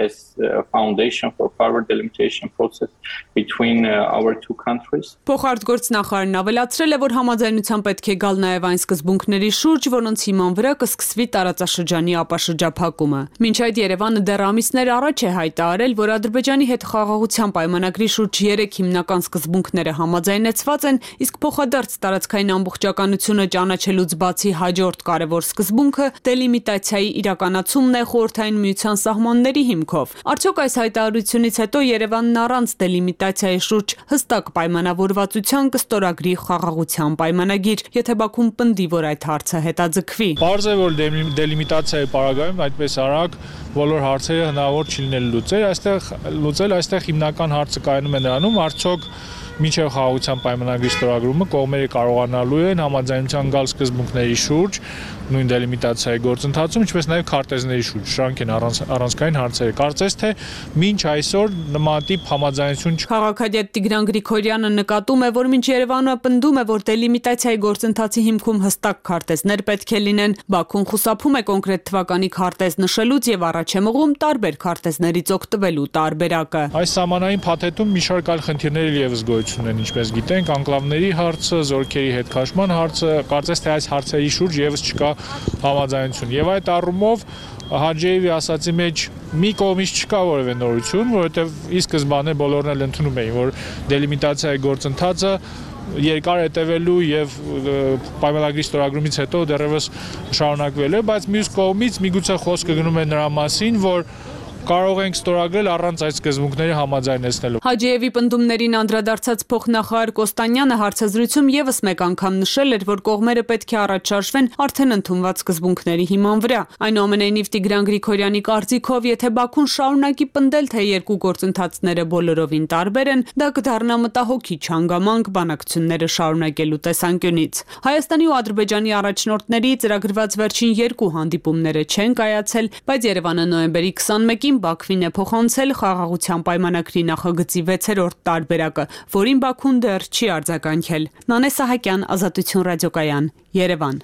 as a foundation for further delimitation process between uh, our two countries. Փոխարտգործնախարարն ավելացրել է, որ համաձայնության պետք է գալ նաև այն սկզբունքների շուրջ, որոնց հիման վրա կսկսվի տարածաշրջանի ապաշրջափակումը։ Մինչ այդ Երևանը դեռ ամիսներ առաջ է հայտարարել, որ Ադրբեջանի հետ խաղաղության պայմանագրի շուրջ երեք հիմնական սկզբունքները համաձայնեցված են, իսկ փոխադարձ տարածքային ամբողջականությունը ճանաչելուց բացի հաջորդ կարևոր սկզբունքը դելիմիտացիայի իրականացումն է խորհրդային միության սահմանների հիմքով։ Արդյոք այս հայտարարությունից հետո Երևանն առանց դելիմիտացիայի շուրջ հստակ պայմանավորվածության կստորագրի խաղաղության պայմանագիր, եթե Բաքուն պնդի, որ այդ հարցը հետաձգվի։ Պարզ է, որ դելիմիտացիայի պարագայում այդպես արագ բոլոր հարցերը հնարավոր չի լինել լուծել, այստեղ լուծել, այստեղ հիմնական հարցը կայանում է նրանում, արդյոք մինչև խաղաղության պայմանագրի ստորագրումը կողմերը կարողանալու են համաձայնության գալ սկզբունքների շուրջ նույն դելիմիտացիայի գործընթացում, ինչպես նաև քարտեզների շուրջ, շրանք են առանց, առանցքային հարցերը։ Կարծես թե մինչ այսօր նմանատիպ համաձայնություն չկա։ Քաղաքագետ Տիգրան Գրիգորյանը նկատում է, որ մինչ Երևանը պնդում է, որ դելիմիտացիայի գործընթացի հիմքում հստակ քարտեզներ պետք է լինեն, Բաքուն խուսափում է կոնկրետ թվականի քարտեզ նշելուց եւ առաջ է մղում տարբեր քարտեզներից օգտվելու տարբերակը։ Այս սահմանային փաթեթում մի շարք այլ խնդիրներ եւս գոյություն ունեն, ինչպես գիտենք, անկլավների հարցը, զորքերի հետ քաշման հարցը, կարծես թե այս հարցերի շուրջ եւս չկա համաձայնություն։ Եվ այդ առումով Հաջիևի ասացի մեջ մի կողմից չկա որևէ նորություն, որովհետև ի սկզբանե բոլորն էլ ընդունում էին, որ դելիմիտացիայի գործընթացը երկար հետևելու եւ պայմանագրի ստորագրումից հետո դեռևս շարունակվելու է, բայց մյուս կողմից միգուցե խոսքը գնում է նրա մասին, որ կարող ենք ստորագրել առանց այդ սկզբունքների համաձայնեցնելու։ Հաջիևի պնդումներին անդրադարձած փոխնախարար Կոստանյանը հարցազրույցում եւս մեկ անգամ նշել էր, որ կողմերը պետք է առաջարժվեն արդեն ընդունված սկզբունքների հիման վրա։ Այնուամենայնիվ Տիգրան Գրիգորյանի կարծիքով, եթե Բաքուն շարունակի պնդել, թե երկու գործընթացները բոլորովին տարբեր են, դա կդառնա մտահոգիչ հանգամանք բանակցությունները շարունակելու տեսանկյունից։ Հայաստանի ու Ադրբեջանի առաջնորդների ծրագրված վերջին երկու հանդիպումները չեն կայացել, բայց Երևանը նոյեմբերի քսանմեկին Վերջերին Բաքվին է փոխանցել խաղաղության պայմանագրի նախագծի վեցերորդ տարբերակը, որին Բաքուն դեռ չի արձագանքել։ Նանե Սահակյան, Ազատություն ռադիոկայան, Երևան։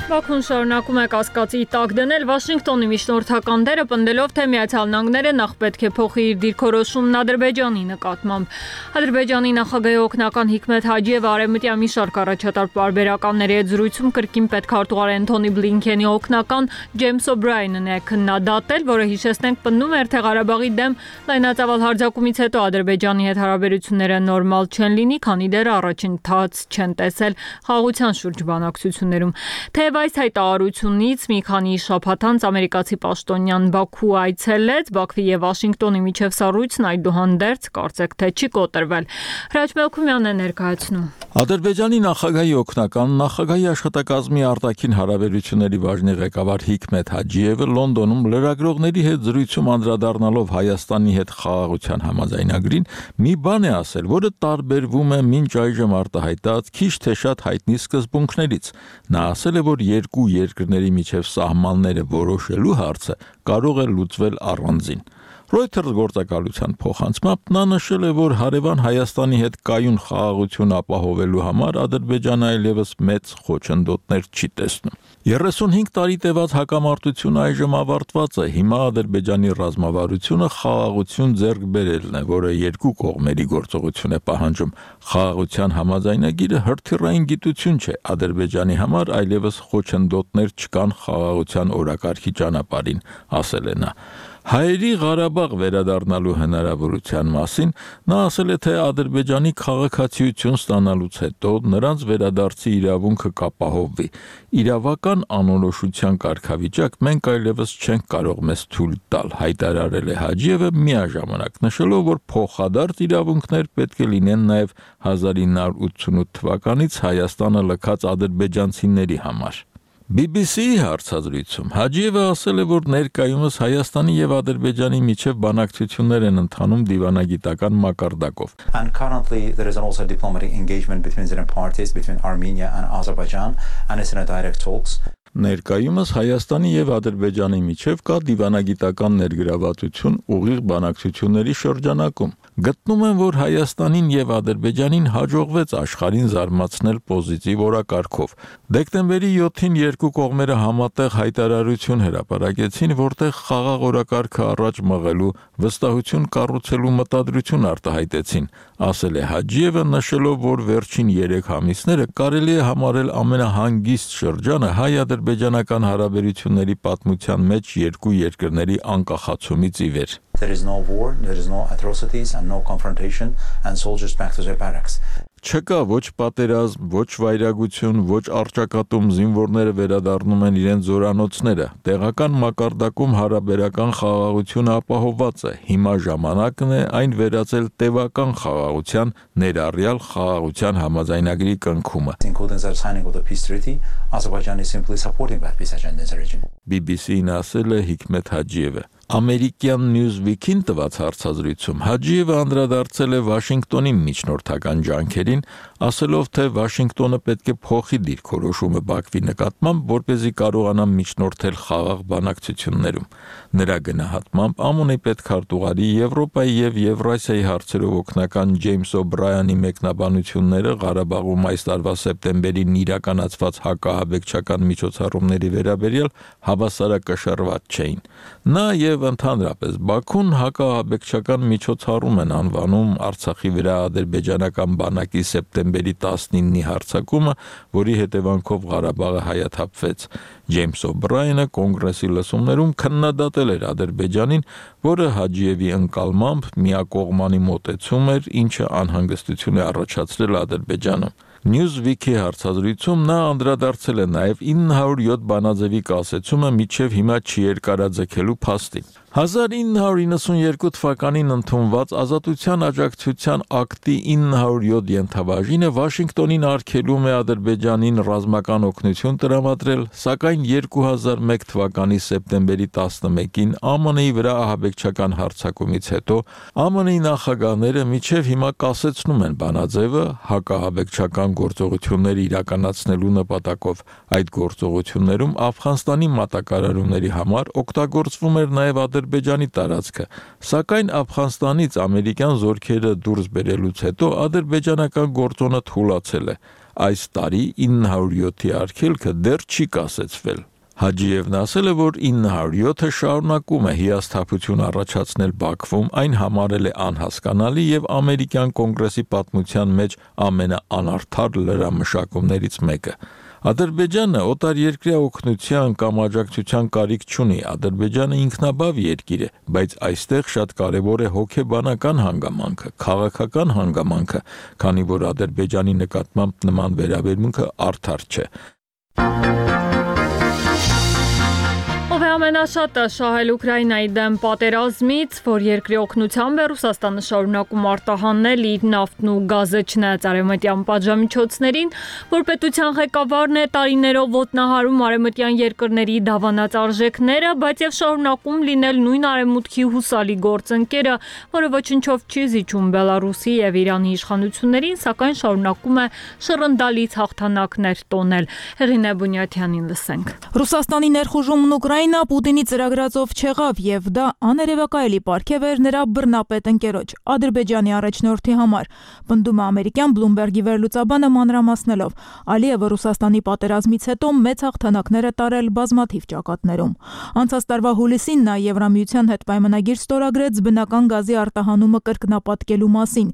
Բաքուն շարունակում է կասկածի տակ դնել Վաշինգտոնի միջնորդական դերը, պնդելով, թե Միացյալ Նահանգները նախ պետք է փոխի իր դիրքորոշումն Ադրբեջանի նկատմամբ։ Ադրբեջանի նախագահի օգնական Հիկմեթ Հաջիևը արևմտյան մի շարք առաջատար պարբերականների հետ զրույցում կրկին պետքարտուղար Էնթոնի Բլինքենի օգնական Ջեյմս Օբրայենն է քննադատել, որը հիշեցնենք պնդում էր, թե Ղարաբաղի դեմ լայնածավալ հարձակումից հետո Ադրբեջանի հետ հարաբերությունները նորմալ չեն լինի, քանի դեռ առաջընթաց չեն տեսել խաղաղության շուրջ բանակցություններում։ Թեև այս հայտարարությունից մի քանի շաբաթ անց ամերիկացի պաշտոնյան Բաքու այցելեց, Բաքվի եւ Վաշինգտոնի միջև սառույցն այդուհանդերձ կարծեք թե չի կոտրվել։ Հրաչ Մելքումյանն է ներկայացնում։ Ադրբեջանի նախագահի օգնական նախագահի աշխատակազմի արտաքին հարաբերությունների բաժնի ղեկավար Հիկմեթ Հաջիևը Լոնդոնում լրագրողների հետ զրույցում անդրադառնալով Հայաստանի հետ խաղաղության համաձայնագրին մի բան է ասել, որը տարբերվում է մինչ այժմ արտահայտած քիչ թե շատ հայտնի սկզբունքներից։ Նա ասել է, որ երկու երկրների միջև սահմանները որոշելու հարցը կարող է լուծվել առանձին։ Reuters գործակալության փոխանցմամբ նա նշել է, որ հարևան Հայաստանի հետ կայուն խաղաղություն ապահովելու համար Ադրբեջանը այլևս մեծ խոչընդոտներ չի տեսնում։ երեսունհինգ տարի տևած հակամարտությունը այժմ ավարտված է։ Հիմա Ադրբեջանի ռազմավարությունը խաղաղություն ձեռք բերելն է, որը երկու կողմերի գործողություն է պահանջում։ Խաղաղության համաձայնագիրը հրթիռային գիտություն չէ։ Ադրբեջանի համար այլևս խոչընդոտներ չկան խաղաղության օրակարգի ճանապարհին, ասել է նա։ Հայերի Ղարաբաղ վերադառնալու հնարավորության մասին նա ասել է, թե Ադրբեջանի քաղաքացիություն ստանալուց հետո նրանց վերադարձի իրավունքը կապահովվի։ Իրավական անորոշության կարգավիճակ մենք այլևս չենք կարող մեզ թույլ տալ, հայտարարել է Հաջիևը, միաժամանակ նշելով, որ փոխադարձ իրավունքներ պետք է լինեն նաև հազար ինը հարյուր ութսունութ թվականից Հայաստանը լքած ադրբեջանցիների համար։ B B C-ի հարցազրույցում Հաջիևը ասել է, որ ներկայումս Հայաստանի եւ Ադրբեջանի միջև բանակցություններ են ընթանում դիվանագիտական մակարդակով։ And currently there is also diplomatic engagement between the parties, between Armenia and Azerbaijan, and it's in a direct talks. Ներկայումս Հայաստանի եւ Ադրբեջանի միջև կա դիվանագիտական ներգրավվածություն ուղիղ բանակցությունների շրջանակում։ Գտնում եմ, որ Հայաստանին եւ Ադրբեջանին հաջողվեց աշխարհին զարմացնել պոզիտիվ օրակարգով։ Դեկտեմբերի յոթին երկու կողմերը համատեղ հայտարարություն հրապարակեցին, որտեղ խաղաղ օրակարգը առաջ մղելու, վստահություն կառուցելու մտադրություն արտահայտեցին, ասել է Հաջիևը, նշելով, որ վերջին երեք ամիսները կարելի է համարել ամենահանգիստ շրջանը հայ-ադրբեջանական հարաբերությունների պատմության մեջ երկու երկրների անկախացումից ի վեր։ There is no war, there is no atrocities and no confrontation and soldiers back to their barracks. Չկա ոչ պատերազմ, ոչ վայրագություն, ոչ առճակատում, զինվորները վերադառնում են իրենց զորանոցները։ Տեղական մակարդակում հարաբերական խաղաղությունը ապահովված է։ Հիմա ժամանակն է այն վերածել տևական խաղաղության, ներառյալ խաղաղության համաձայնագրի կնքումը։ Including the signing of the peace treaty, Azerbaijan is simply supporting that peace agenda in the region. B B C-ն ասել է Հիկմեթ Հաջիևը։ Ամերիկյան Newsweek-ին տված հարցազրույցում Հաջիևը անդրադարձել է Վաշինգտոնի միջնորդական ջանքերին, ասելով, թե Վաշինգտոնը պետք է փոխի դիրքորոշումը Բաքվի նկատմամբ, որպեսզի կարողանա միջնորդել խաղաղ բանակցություններում։ Նրա գնահատմամբ ԱՄՆ-ի պետքարտուղարի, Եվրոպայի եւ Եվրասիայի հարցերով օգնական Ջեյմս Օբրայանի մեկնաբանությունները Ղարաբաղում այս տարվա սեպտեմբերին իրականացված հակահաբեկչական միջոցառումների վերաբերյալ հավասարակշռված չէին։ Նա եւ ընդհանրապես Բաքուն հակահաբեկչական միջոցառում են անվանում Արցախի վրա ադրբեջանական բանակի սեպտեմբերի տասնինի հարձակումը, որի հետևանքով Ղարաբաղը հայաթափվեց։ Ջեյմս Օբրայանը կոնգրեսի լսումներում քննադատել էր Ադրբեջանին, որը Հաջիևի ընկալմամբ միակողմանի մոտեցում էր, ինչը անհանգստություն է առաջացրել Ադրբեջանում։ Newsweek-ի հարցազրույցում նա անդրադարձել է նաև ինը հարյուր յոթ բանաձևի կասեցումը միջև հիմա չի երկարաձգելու փաստին։ հազար ինը հարյուր իննսունյերկու թվականին ընդունված Ազատության աջակցության ակտի ինը հարյուր յոթ ենթաբաժինը Վաշինգտոնին արգելում է Ադրբեջանին ռազմական օգնություն տրամադրել, սակայն երկու հազար մեկ թվականի սեպտեմբերի տասնմեկին ԱՄՆ-ի վրա ահաբեկչական հարձակումից հետո ԱՄՆ-ի նախագահները մինչև հիմա կասեցնում են բանաձևը հակահաբեկչական գործողություններ իրականացնելու նպատակով։ Այդ գործողություններում Աֆղանստանի մատակարարումների համար օգտագործվում էր նաև Ադրբեջանի տարածքը, սակայն Աֆղանստանից ամերիկյան զորքերը դուրս բերելուց հետո ադրբեջանական գործոնը թուլացել է։ Այս տարի ինը հարյուր յոթի արգելքը դեռ չի կասեցվել։ Հաջիևն ասել է, որ ինը հարյուր յոթը շարունակում է հիասթափություն առաջացնել Բաքվում, այն համարել է անհասկանալի եւ ամերիկյան կոնգրեսի պատմության մեջ ամենաանարդար լրամշակումներից մեկը։ Ադրբեջանը օտարերկրյա օգնության կամ աջակցության կարիք չունի, Ադրբեջանը ինքնաբավ երկիր է, բայց այստեղ շատ կարևոր է հոգեբանական հանգամանքը, քաղաքական հանգամանքը, քանի որ Ադրբեջանի նկատմամբ նման վերաբերմունքը արդար չէ։ Ով է ամենաշատը շահել Ուկրաինայի դեմ պատերազմից, որ երկրի օգնությամբ է Ռուսաստանը շարունակում արտահանել իր նավթն ու գազը չնայած արևմտյան պատժամիջոցներին, որ պետության ղեկավարն է տարիներով ոտնահարում արևմտյան երկրների դավանած արժեքները, բայց եւ շարունակում լինել նույն արևմուտքի հուսալի գործընկերը, որը ոչնչով չի զիջում Բելարուսի եւ Իրանի իշխանություններին, սակայն շարունակում է շռնդալից հաղթանակներ տոնել։ Հեղինե Բունյաթյանին լսենք։ Ռուսաստանի ներխուժումն Ուկրաինա Պուտինի ծրագրածով չեղավ եւ դա աներևակայելի պարգև էր նրա բռնապետ ընկերոջ Ադրբեջանի առաջնորդի համար, պնդում է ամերիկյան Bloomberg-ի վերլուծաբանը մանրամասնելով։ Ալիևը Ռուսաստանի պատերազմից հետո մեծ հաղթանակներ է տարել բազմաթիվ ճակատներում։ Անցած տարվա հուլիսին նա Եվրամիության հետ պայմանագիր ստորագրեց բնական գազի արտահանումը կրկնապատկելու մասին,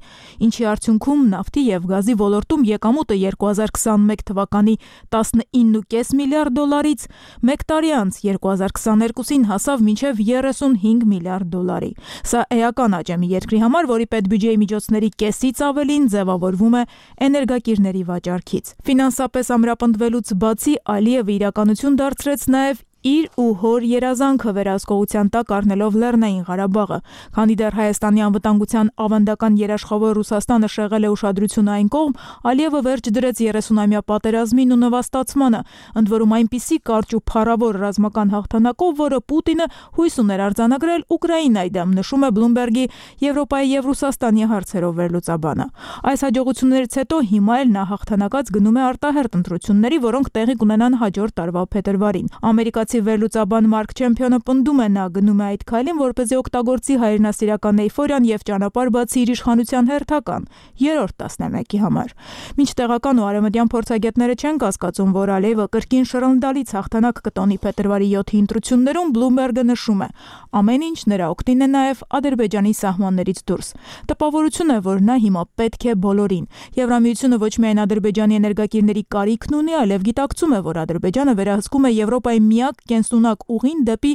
ինչի արդյունքում նավթի եւ գազի ոլորտում եկամուտը երկու հազար քսաներկու թվականի տասնինը կես միլիարդ դոլարից մեկ տարի անց երկու հազար քսաներկուսին հասավ մինչև երեսունհինգ միլիարդ դոլարի։ Սա էական աճ է մի երկրի համար, որի պետբյուջեի միջոցների կեսից ավելին ձևավորվում է էներգակիրների վաճառքից։ Ֆինանսապես ամրապնդվելուց բացի Ալիևը իրականություն դարձրեց նաև իր ու հոր երազանքը վերահսկողության տակ առնելով Լեռնային Ղարաբաղը, քանի դեռ Հայաստանի անվտանգության ավանդական երաշխավոր Ռուսաստանը շեղել է ուշադրությունը այն կողմ, Ալիևը վերջ դրեց երեսունամյա պատերազմին ու նվաստացմանը, ընդ որում այնպիսի կարճ ու փառավոր ռազմական հաղթանակով, որը Պուտինը հույս ուներ արձանագրել Ուկրաինայի դեմ, նշում է Bloomberg-ի Եվրոպայի եւ Ռուսաստանի հարցերով վերլուծաբանը։ Այս հաջողություններից հետո հիմա էլ նա հաղթանակած գնում է արտահերտ ընտրությունների, որոնք տեղի կունենան հաջորդ տարվա փետրվարին։ Ամերիկացի վերլուծաբան Մարկ Չեմփիոնը պնդում է, նա գնում է այդ քայլին, որպեսզի օգտագործի հայրենասիրական էյֆորիան եւ ճանապարհ բացի իր իշխանության հերթական երրորդ տասնամյակի համար։ Մինչ տեղական ու արևմտյան փորձագետները չեն կասկածում, որ Ալիևը կրկին շռնդալից հաղթանակ կտոնի փետրվարի յոթի ընտրություններում, Bloomberg-ը նշում է. ամեն ինչ նրա օգտին է նաեւ Ադրբեջանի սահմաններից դուրս։ Տպավորություն է, որ նա հիմա պետք է բոլորին։ Եվրամիությունը ոչ միայն Ադրբեջանի էներգակիրների կարիքն ունի, այլև գիտակցում է, որ Ադրբեջանը վերահսկում է Եվրոպայի միակ կենսունակ ուղին դեպի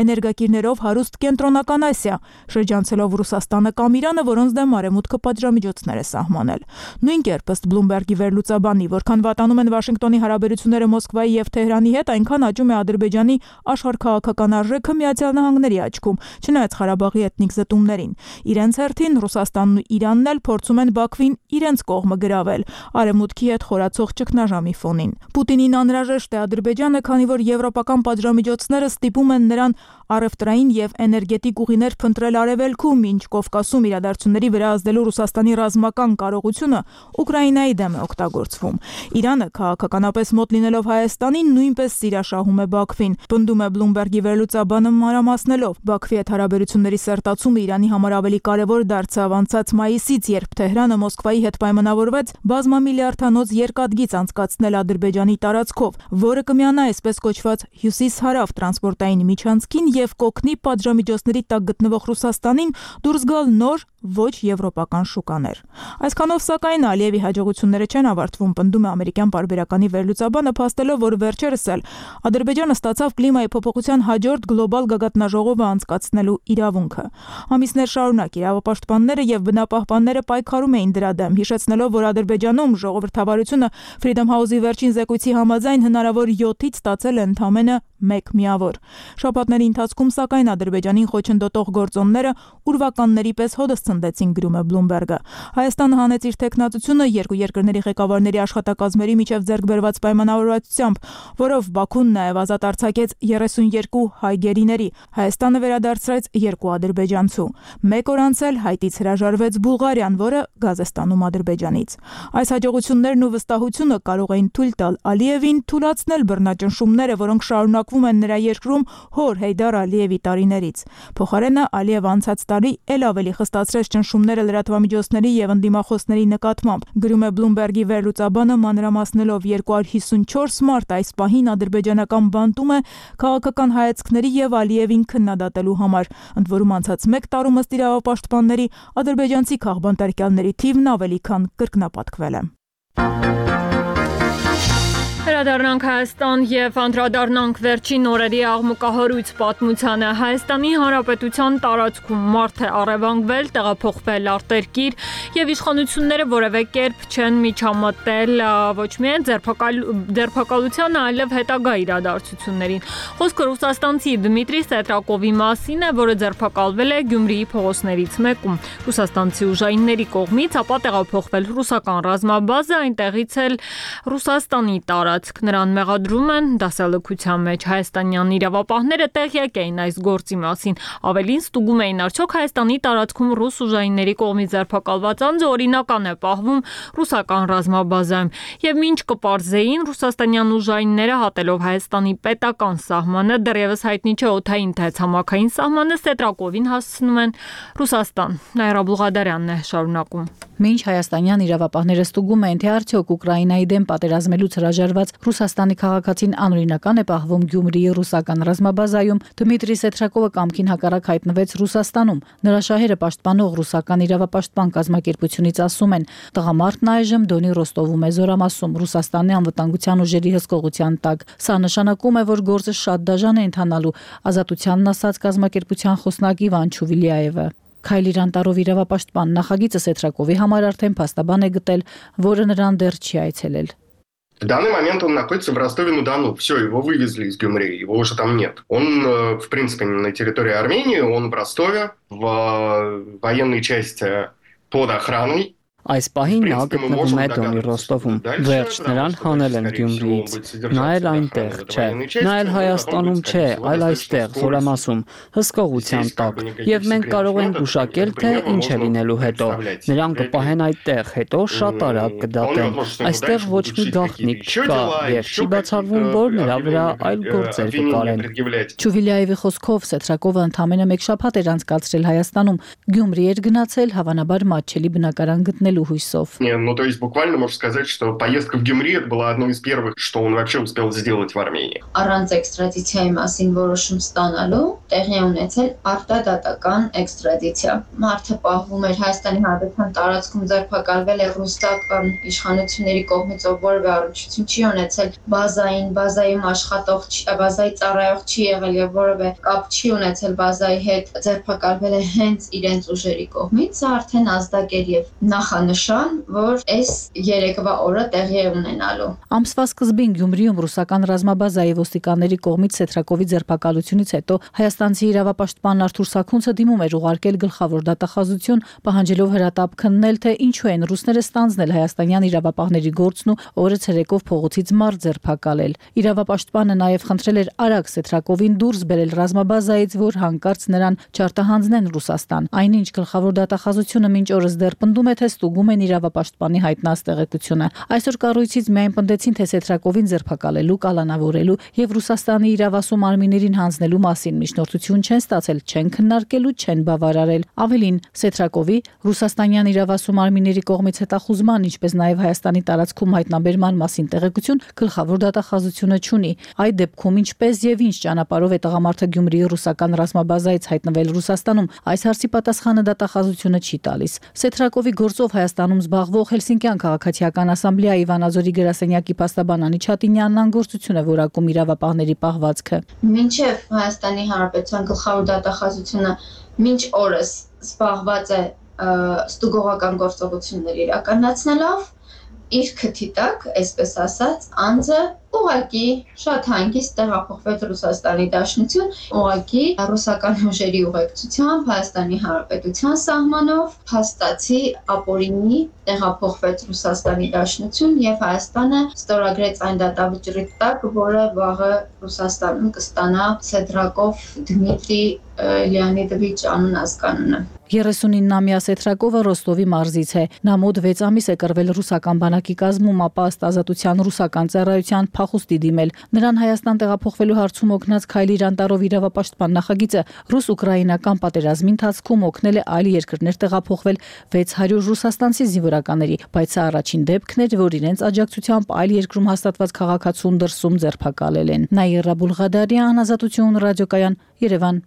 էներգակիրներով հարուստ կենտրոնական Ասիա, շրջանցելով Ռուսաստանը կամ Իրանը, որոնց դեմ արևմուտքը պատժամիջոցներ է սահմանել։ Նույն կերպ ըստ Bloomberg-ի վերլուծաբանի, որքան վատանում են Վաշինգտոնի հարաբերությունները Մոսկվայի եւ Թեհրանի հետ, այնքան աճում է Ադրբեջանի աշխարհքաղաքական արժեքը Միացյալ Նահանգների աչքում, չնայած Ղարաբաղի էթնիկ զտումներին։ Իրենց հերթին Ռուսաստանն ու Իրանն էլ փորձում են Բաքվին իրենց կողմը գրավել արևմուտքի հետ խորացող ճգնաժամի ֆոնին։ Պուտինին անհրաժեշտ է Ադրբեջանը, քանի որ եվրոպական պատժամիջոցները ստիպում են նրան առևտրային եւ էներգետիկ ուղիներ փնտրել արևելքում, ինչ Կովկասում իրադարձությունների վրա ազդելու Ռուսաստանի ռազմական կարողությունը Ուկրաինայի դեմ է օգտագործվում։ Իրանը քաղաքականապես մոտ լինելով Հայաստանին նույնպես սիրաշահում է Բաքվին, պնդում է Bloomberg-ի վերլուծաբանը մանրամասնելով։ Բաքվի հետ հարաբերությունների սերտացումը Իրանի համար ավելի կարևոր դարձավ անցած մայիսից, երբ Թեհրանը Մոսկվայի հետ պայմանավորվեց բազմամիլիարդանոց երկաթգիծ անցկացնել Ադրբեջանի տարածքով, որը կմիանա այսպես կոչված հյուսիս-հարավ տրանսպորտային միջանցքին եւ կօգնի պատժամիջոցների տակ գտնվող Ռուսաստանին դուրս գալ նոր ոչ եվրոպական շուկաներ։ Այսքանով սակայն Ալիևի հաջողությունները չեն ավարտվում, պնդում է ամերիկյան պարբերականի վերլուծաբանը, փաստելով, որ վերջերս էլ Ադրբեջանը ստացավ կլիմայի փոփոխության հաջորդ գլոբալ գագաթնաժողովը անցկացնելու իրավունքը։ Ամիսներ շարունակ իրավապաշտպանները եւ բնապահպանները պայքարում էին դրա դեմ, հիշեցնելով, որ Ադրբեջանում ժողովրդավարությունը Freedom House-ի վերջին զեկույցի համաձայն հնարավոր յոթից ստացել է ընդամենը մեկ միավոր։ Շաբաթների ընթացքում սակայն Ադրբեջանին խոչընդոտող գործոնները ուրվականների պես հոդս ցնդեցին, գրում է Bloomberg-ը։ Հայաստանը հանեց իր տեխնացությունը երկու երկրների ղեկավարների աշխատակազմերի միջև ձեռք բերված պայմանավորվածությամբ, որով Բաքուն նաև ազատ արձակեց երեսունյերկու հայ գերիների։ Հայաստանը վերադարձրեց երկու ադրբեջանցու։ Մեկ օր անց էլ Հայտից հրաժարվեց Բուլղարիան, որը գազ է ստանում Ադրբեջանից։ Այս հաջողություններն ու վստահությունը կարող էին թույլ տալ Ալիևին թուլացնել բռնաճնշումները, որոնք շարունակվում են նրա երկրում հոր Հեյդար Ալիևի տարիներից։ Փոխարենը Ալիևը անցած տարի էլ ավելի խստացրեց ճնշումները լրատվամիջոցների եւ ընդդիմախոսների նկատմամբ, գրում է Bloomberg-ի վերլուծաբանը, մանրամասնելով երկու հարյուր հիսունչորս մարտ այս պահին ադրբեջանական բանտում է քաղաքական հայացքների եւ Ալիևին քննադատելու համար, ընդ որում անցած մեկ տարում ըստ իրավապաշտպանների ադրբեջանցի քաղբանտարկյալների թիվն ավելի քան կրկնապատկվել է։ Վերադառնանք Հայաստան եւ անդրադառնանք վերջին օրերի աղմուկահարույց պատմությանը։ Հայաստանի Հանրապետության տարածքում մարդ է առևանգվել, տեղափոխվել արտերկիր եւ իշխանությունները որևէ կերպ չեն միջամտել ոչ միայն ձերբակալությանը, այլև հետագա իրադարձություններին։ Խոսքը ռուսաստանցի Դմիտրի Սետրակովի մասին է, որը ձերբակալվել է Գյումրիի փողոցներից մեկում ռուսաստանցի ուժայինների կողմից, ապա տեղափոխվել ռուսական ռազմաբազա, այնտեղից էլ Ռուսաստանի տարածք նրան մեղադրում են դասալքության մեջ։ Հայաստանյան իրավապահները տեղյակ էին այս գործի մասին, ավելին ստուգում էին արդյոք Հայաստանի տարածքում ռուս ուժայինների կողմից ձերբակալված անձը օրինական է պահվում ռուսական ռազմաբազայում, եւ մինչ կպարզեին ռուսաստանյան ուժայինները հատելով Հայաստանի պետական սահմանը, դեռևս հայտնի չէ օդային թե ցամաքային սահմանը, Սետրակովին հասցնում են Ռուսաստան։ Նաիրա Բուլղադարյանն է շարունակում։ Մինչ հայաստանյան իրավապահները ստուգում են, թե արդյոք Ուկրաինայի դեմ պատերազմելուց հրաժարված Ռուսաստանի քաղաքացին անօրինական է պահվում Գյումրիի ռուսական ռազմաբազայում, Դմիտրի Սետրակովը կամքին հակառակ հայտնվեց Ռուսաստանում։ Նրա շահերը պաշտպանող ռուսական իրավապաշտպան կազմակերպությունից ասում են, տղամարդն այժմ Դոնի Ռոստովում է զորամասում Ռուսաստանի անվտանգության ուժերի հսկողության տակ։ Սա նշանակում է, որ գործը շատ դաժան է ընթանալու, ազատությանն ասաց կազմակերպության խոսնակ Իվան Չուվիլիայևը։ Քայլիր Անտարով իրավապաշտպան նախագիծը Սետրակովի համար արդեն փաստաբան է գտել, որը նրան դեռ չի այցելել։ В данный момент он находится в Ростове-на-Дону. Все, его вывезли из Гюмри, его уже там нет. Он, в принципе, не на территории Армении, он в Ростове, в военной части под охраной. Այս պահին նա գտնվում է Դոնի Ռոստովում։ Վերջ նրան հանել են Գյումրիից։ Նա էլ այնտեղ չէ։ Նա էլ Հայաստանում չէ, այլ այստեղ, զորամասում, հսկողության տակ։ Եվ մենք կարող ենք գուշակել, թե ինչ է լինելու հետո։ Նրան կպահեն այդտեղ, հետո շատ արագ կդատեն։ Այստեղ ոչ մի գաղտնիք չկա, եւ չի բացառվում, որ նրա վրա այլ գործեր կկարեն։ Չուվիլիայևի խոսքով Սետրակովը ընդամենը մեկ շաբաթ էր անցկացրել Հայաստանում։ Գյումրի էր գնացել հավանաբար մատչելի բնակարան գտնել Хуйсов. Ну, то есть буквально можно сказать, что поездка в Гюмри это была одной из первых, что он вообще успел сделать в Армении. Առանց էքստրադիցիայի մասին որոշում ստանալու տեղի ունեցել արտադատական էքստրադիցիա։ Մարդը պահվում էր Հայաստանի Հանրապետության տարածքում, ձերբակալվել է ռուսական իշխանությունների կողմից, ով որևէ առնչություն չի ունեցել բազային, բազայում աշխատող, բազայի ծառայող չի եղել եւ որևէ կապ չի ունեցել բազայի հետ, ձերբակալվել է հենց իրենց ուժերի կողմից, սա արդեն ազդակեր եւ նախ նշան, որ այս երեկվա օրը տեղի է ունենալու։ Ամսվա սկզբին Գյումրիում ռուսական ռազմաբազայի ոստիկանների կողմից Սետրակովի ձերբակալությունից հետո հայաստանցի իրավապաշտպան Արթուր Սաքունցը դիմում էր ուղարկել գլխավոր դատախազություն, պահանջելով հրատապ քննել, թե ինչու են ռուսները ստանձնել հայաստանյան իրավապահների գործն ու օրը ցերեկով փողոցից մարդ ձերբակալել։ Իրավապաշտպանը նաև խնդրել էր արագ Սետրակովին դուրս բերել ռազմաբազայից, որ հանկարծ նրան չարտահանձնեն Ռուսաստան։ Այնինչ գլխավոր դատախազությունը մինչ օրս դեռ պնդում է, թե ստուգում են իրավապաշտպանի հայտնած տեղեկությունը։ Այսօր կառույցից միայն պնդեցին, թե Սետրակովին ձերբակալելու, կալանավորելու եւ Ռուսաստանի իրավասու մարմիններին հանձնելու մասին միջնորդություն չեն ստացել, չեն քննարկել ու չեն բավարարել։ Ավելին, Սետրակովի ռուսաստանյան իրավասու մարմինների կողմից հետախուզման, ինչպես նաեւ Հայաստանի տարածքում հայտնաբերման մասին տեղեկություն գլխավոր դատախազությունը չունի։ Այդ դեպքում ինչպես եւ ինչ ճանապարհով է տղամարդը Գյումրիի ռուսական ռազմաբազայից հայտնվել Ռուսաստանում, այս հարցի պատասխանը դատախազությունը չի տալիս։ Սետրակովի գործով Հայաստանում զբաղվող Հելսինկյան քաղաքացիական ասամբլեայի Վանաձորի գրասենյակի փաստաբան Անի Չատինյանն անգործություն է որակում իրավապահների պահվածքը։ Մինչև Հայաստանի Հանրապետության գլխավոր դատախազությունը մինչ օրս զբաղված է ստուգողական գործողություններ իրականացնելով, իր քթի տակ, այսպես ասած, անձը Ուղղակի շատ հանգիստ տեղափոխվեց Ռուսաստանի Դաշնություն, ուղղակի ռուսական ուժերի ուղեկցությամբ Հայաստանի Հանրապետության սահմանով փաստացի ապօրինի տեղափոխվեց Ռուսաստանի Դաշնություն եւ Հայաստանը ստորագրեց այն դատավճռի տակ, որը վաղը Ռուսաստանում կստանա Սեդրակով Դմիտրի Լեոնիդովիչ անուն ազգանունը։ երեսունինամյա Սեթրակովը Ռոստովի մարզից է։ Նա մոտ վեց ամիս է կռվել ռուսական բանակի կազմում, ապա ըստ ազատության ռուսական ծառայության փախուստի դիմել։ Նրան Հայաստան տեղափոխվելու հարցում օգնած Քայլի Ռանտարով իրավապաշտպան նախագիծը ռուս-ուկրաինական պատերազմի ընթացքում օգնել է այլ երկրներ տեղափոխվել վեց հարյուր ռուսաստանցի զինվորականների, բայց սա առաջին դեպքն էր, որ իրենց աջակցությամբ այլ երկրում հաստատված քաղաքացուն դրսում ձերբակալել են։ Նաիրա Բուլղադարյան, Ազատություն ռադիոկայան, Երևան։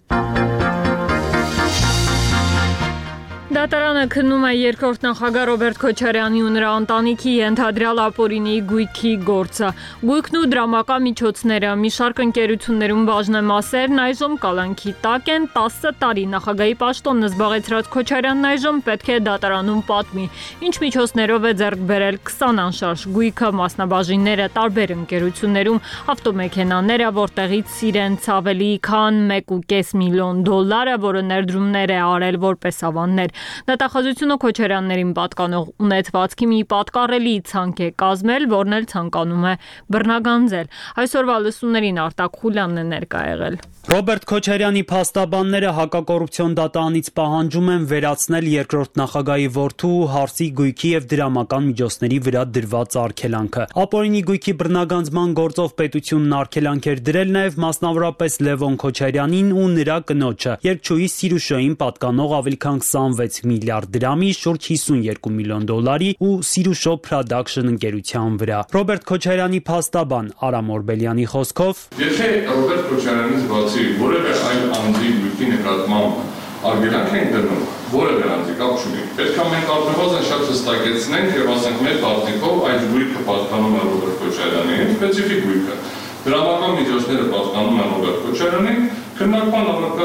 Դատարանը քննում է երկրորդ նախագահ Ռոբերտ Քոչարյանի ու նրա ընտանիքի ենթադրյալ ապօրինի գույքի գործը։ Գույքն ու դրամական միջոցները մի շարք ընկերություններում բաժնեմասերն այժմ կալանքի տակ են։ տասը տարի նախագահի պաշտոնն զբաղեցրած Քոչարյանն այժմ պետք է դատարանում պատմի, ինչ միջոցներով է ձեռք բերել քսան անշարժ գույքը, մասնաբաժինները տարբեր ընկերություններում, ավտոմեքենաները, որտեղից իրենց ավելի քան մեկ ու կես միլիոն դոլարը, որը ներդրումներ է արել որպես ավաններ։ Դատախազությունը Քոչարյաններին պատկանող ունեցվածքի մի պատկառելի ցանկ է կազմել, որն էլ ցանկանում է բռնագանձել։ Այսօրվա լսումներին Արտակ Խուլյանն է ներկա եղել։ Ռոբերտ Քոչարյանի փաստաբանները հակակոռուպցիոն դատարանից պահանջում են վերացնել երկրորդ նախագահի որդու Հարսի գույքի եւ դրամական միջոցների վրա դրված արգելանքը։ Ապօրինի գույքի բռնագանձման գործով պետությունն արգելանք էր դրել նաեւ մասնավորապես Լևոն Քոչարյանին ու նրա կնոջը, երգչուհի Սիրուշոյին պատկանող ավելի քան քսանվեց միլիարդ դրամի, շուրջ հիսունյոթ միլիոն դոլարի ու Սիրուշո Production ընկերության վրա։ Ռոբերտ Քոչարյանի փաստաբան Արամ Օրբելյանի խոսքով, եթե Ռոբերտ Քոչարյանից բացի որևէ այլ անձի գույքի նկատմամբ արգելանք են դնում, որևէ անձի կապ չունի, պետք է մենք առնվազն շատ հստակեցնենք եւ ասենք մեր կարծիքով այդ գույքը պատկանում է Ռոբերտ Քոչարյանին, սպეციფიկ գույքը։ Դրամական միջոցները պատկանում են Ռոբերտ Քոչարյանին, քննարկման առարկա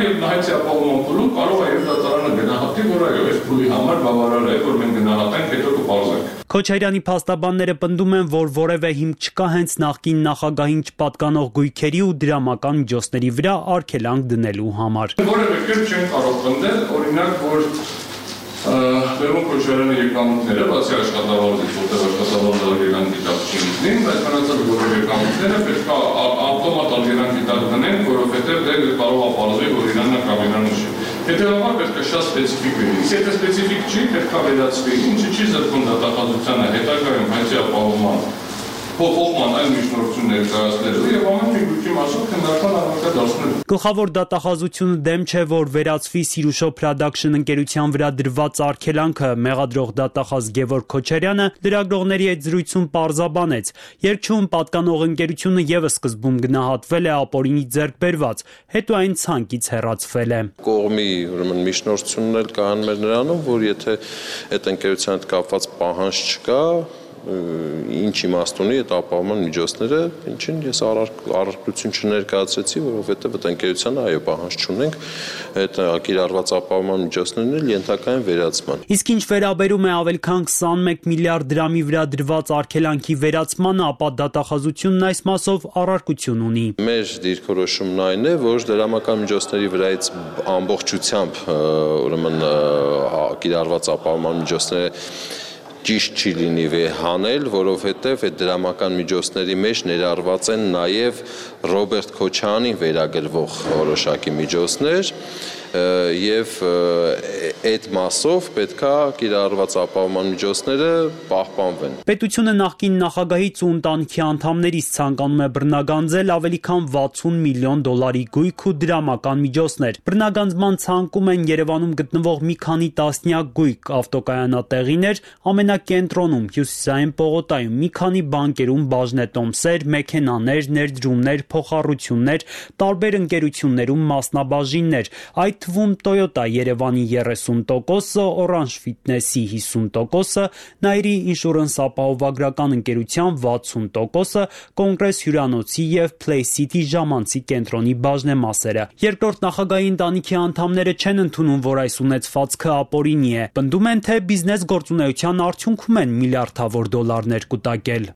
եւ նահեցի ապահովման փուլում կարող է եւ դատարանը գնահատի, որ այո, այս փուլի համար բավարար է, որ մենք գնահատենք, հետո կպարզենք։ Քոչարյանի փաստաբանները պնդում են, որ որևէ հիմք չկա հենց նախկին նախագահին չպատկանող գույքերի ու դրամական միջոցների վրա արգելանք դնելու համար։ Որևէ կերպ չեն կարող պնդել, օրինակ, որ Լևոն Քոչարյանի եկամուտները, բացի աշխատավարձից, որտեղ աշխատավարձը արգելանքի տակ չի լինի, բայց մնացած որևէ եկամուտները պետք է ավտոմատ արգելանքի տակ դնենք, որովհետև դե կարող է պարզվի, որ Իրանն է կամ Իրանը չի։ Հետևաբար պետք է շատ սպეციფიկ լինի։ Եթե սպეციფիկ չի, պետք է վերացվի, ինչը չի զրկում դատախազությանը հետագայում հայցի ապահովման փոխողման այլ միջնորդություն ներկայացնելու եւ ամեն մի գույքի մասով քննարկման առարկա դարձնելու։ Գլխավոր դատախազությունը դեմ չէ, որ վերացվի Սիրուշո Production ընկերության վրա դրված արգելանքը։ Մեղադրող դատախազ Գևորգ Քոչարյանը լրագրողների հետ զրույցում պարզաբանեց, երկչուն պատկանող ընկերությունը եւս սկզբում գնահատվել է ապօրինի ձեռք բերված, հետո այն ցանկից հեռացվել է։ Կողմի ուրեմն միջնորդությունն էլ կան մեր նրանով, որ եթե այդ ընկերության հետ կապված պահանջ չկա, ինչ իմաստ ունի այդ ապահովման միջոցները, ինչին ես առարկություն չներկայացրեցի, որովհետև այդ ընկերությանը այո պահանջ չունենք, այդ կիրառված ապահովման միջոցներն էլ ենթակա են վերացման։ Իսկ ինչ վերաբերում է ավելի քան քսանմեկ միլիարդ դրամի վրա դրված արգելանքի վերացմանը, ապա դատախազությունն այս մասով առարկություն ունի։ Մեր դիրքորոշումն այն է, որ դրամական միջոցների վրայից ամբողջությամբ ուրեմն կիրառված ապահովման միջոցները ճիշտ չի լինի հանել, որովհետև այդ դրամական միջոցների մեջ ներառված են նաև Ռոբերտ Քոչարյանին վերագրվող որոշակի միջոցներ եւ այդ մասով պետքա կիրառված ապահովման միջոցները պահպանվեն։ Պետությունը նախկին նախագահից ու ընտանիքի անդամներից ցանկանում է բռնագանձել ավելի քան վաթսուն միլիոն դոլարի գույք ու դրամական միջոցներ։ Բռնագանձման ցանկում են Երևանում գտնվող մի քանի տասնյակ գույք, ավտոկայանատեղիներ, ամենակենտրոնում Հյուսիսային պողոտայում մի քանի բանկերում բաժնետոմսեր, մեքենաներ, ներդրումներ, փոխառություններ, տարբեր ընկերություններում մասնաբաժիններ, այդ թվում Toyota Երևանի երեսուն տոկոսը, Orange Fitness-ի հիսուն տոկոսը, Nairi Insurance ապահովագրական ընկերության վաթսուն տոկոսը, Կոնգրես հյուրանոցի եւ Play City ժամանցի կենտրոնի բաժնեմասերը։ Երկրորդ նախագահի ընտանիքի անդամները չեն ընդունում, որ այս ունեցվածքը ապօրինի է։ Պնդում են, թե բիզնես գործունեության արդյունքում են միլիարդավոր դոլարներ կուտակել։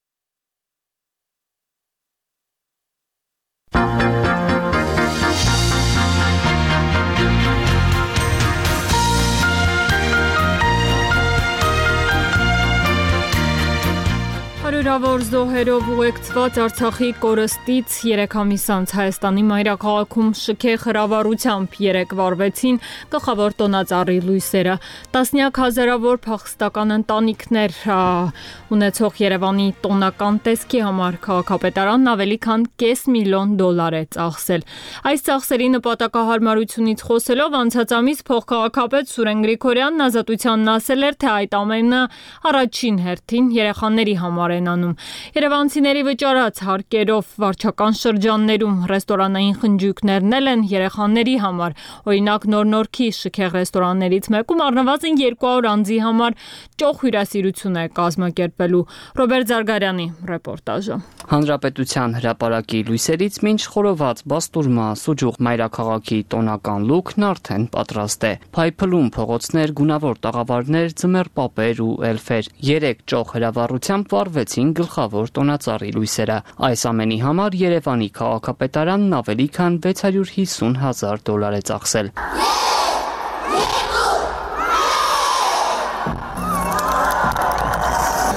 զոհերով ուղեկցված Արցախի կորստից երեք ամիս անց Հայաստանի մայրաքաղաքում շքեղ հրավառությամբ երեք վարվեցին գլխավոր տոնածառի լույսերը։ Տասնյակ հազարավոր փախստական ընտանիքներ ունեցող Երևանի տոնական տեսքի համար քաղաքապետարանն ավելի քան կես միլիոն դոլար է ծախսել։ Այս ծախսերի նպատակահարմարությունից խոսելով անցած ամիս փոխքաղաքապետ Սուրեն Գրիգորյանն ազատությանն ասել էր, թե այդ ամենը առաջին հերթին երեխաների համար են անում։ Երևանցիների վճարած հարկերով վարչական շրջաններում ռեստորանային խնջույքներն են երեխաների համար։ Օրինակ Նոր-Նորքի շքեղ ռեստորաններից մեկում առնվազն երկու հարյուր անձի համար ճոխ հյուրասիրություն է կազմակերպվելու։ Ռոբերտ Զարգարյանի ռեպորտաժը։ Հանրապետության հրապարակի լույսերից մինչ խորոված բաստուրմա սուջուղ մայրաքաղաքի տոնական լուքն արդեն պատրաստ է։ Փայփլում փողոցներ, գունավոր տաղավարներ, ձմեռ պապեր ու էլֆեր։ Երեք ճոխ հրավառությամբ վարվեցին գլխավոր տոնածառի լույսերը։ Այս ամենի համար Երևանի քաղաքապետարանն ավելի քան վեց հարյուր հիսուն հազար դոլար է ծախսել։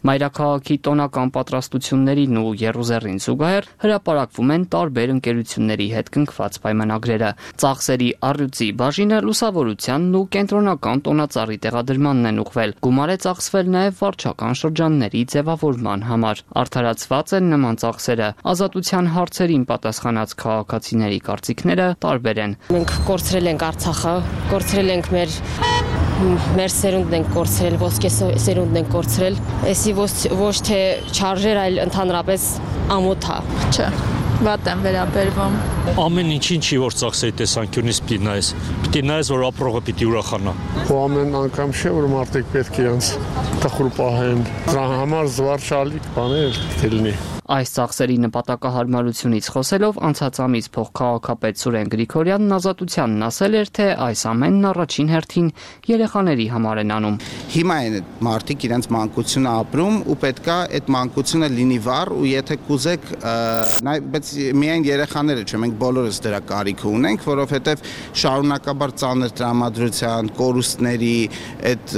Մայրաքաղաքի տոնական պատրաստություններին ու եռուզեռին զուգահեռ հրապարակվում են տարբեր ընկերությունների հետ կնքված պայմանագրերը։ Ծախսերի առյուծի բաժինը լուսավորությանն ու կենտրոնական տոնածառի տեղադրմանն են ուղղվել։ Գումար է ծախսվել նաև վարչական շրջանների ձևավորման համար։ Արդարացված են նման ծախսերը։ Ազատության հարցերին պատասխանած քաղաքացիների կարծիքները տարբեր են։ Մենք կորցրել ենք Արցախը, կորցրել ենք մեր մեր սերունդն ենք կորցրել, ոսկե սերունդն ենք կորցրել։ Էսի ոչ թե չարժեր, այլ ընդհանրապես ամոթ է։ Չէ, վատ եմ վերաբերվում։ Ամեն ինչին չի որ ծախսերի տեսանկյունից պիտի նայես։ Պիտի նայես, որ ապրողը պիտի ուրախանա։ Ու ամեն անգամ չէ, որ մարդիկ պետք է իրենց տխուր պահեն։ Դրա համար զվարճալի բաներ պետք է լինի։ Այս ծախսերի նպատակահարմարությունից խոսելով անցած ամիս փոխքաղաքապետ Սուրեն Գրիգորյանն ազատությանն ասել էր, թե այս ամենն առաջին հերթին երեխաների համար են անում։ Հիմա են մարդիկ իրենց մանկությունը ապրում ու պետքա այդ մանկությունը լինի վառ ու եթե կուզեք, բայց միայն երեխաները չէ, մենք բոլորս դրա կարիքը ունենք, որովհետև շարունակաբար ծանր տրամադրության, կորուստների, այդ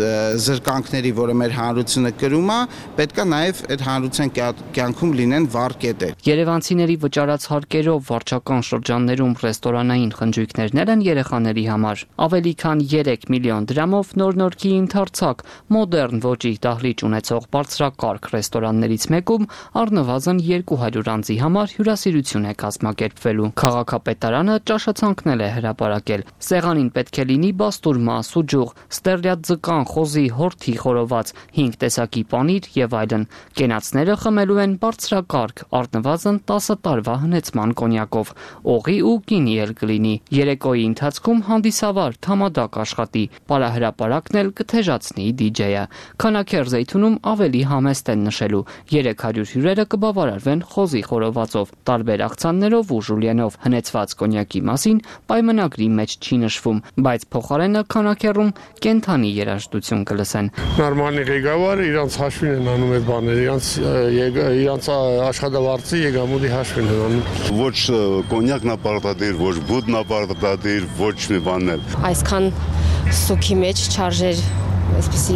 զրկանքների, որը մեր հանրությունը կրում է, պետքա նաև այդ հանրության կյանքում լինեն վառ կետեր։ Երևանցիների վճարած հարկերով վարչական շրջաններում ռեստորանային խնջույքներն են երեխաների համար։ Ավելի քան երեք միլիոն դրամով Նոր-Նորքի ընդարձակ մոդեռն ոճի դահլիճ ունեցող բարձրակարգ ռեստորաններից մեկում առնվազն երկու հարյուր անձի համար հյուրասիրություն է կազմակերպվելու։ Քաղաքապետարանը ճաշացանկներ է հրապարակել։ Սեղանին պետք է լինի բաստուրմա, սուջուղ, ստերլյադ ձկան, խոզի, հորթի խորոված, հինգ տեսակի պանիր եւ այլն։ Կենացները խմելու են բարձրակարգ առնվազն տասը տարվա հնեցման կոնյակով, օղի ու գինի էլ կլինի։ Երեկոյի ընթացքում հանդիսավար թամադակ աշխատի, պարահրապարակն էլ կթեժացնի դիջեյը։ Քանաքեր Զեյթունում ավելի համեստ են նշելու։ երեք հարյուր հյուրերը կբավարարվեն խոզի խորովածով, տարբեր աղցաններով ու ժուլիենով։ Հնեցված կոնյակի մասին պայմանագրի մեջ չի նշվում, բայց փոխարենը քանաքերում կենթանի երաժշտություն կլսեն։ Նորմալի ղեկավարը իրանց հաշվին են անում այդ բաները, իրանց իրանց աշխատավարձի եկամուտի հաշվին են անում։ Ոչ կոնյակն ապարտադիր, ոչ բուդն ապարտադիր, ոչ մի բան էլ։ Այսքան սուքի մեջ չարժեր այսպեսի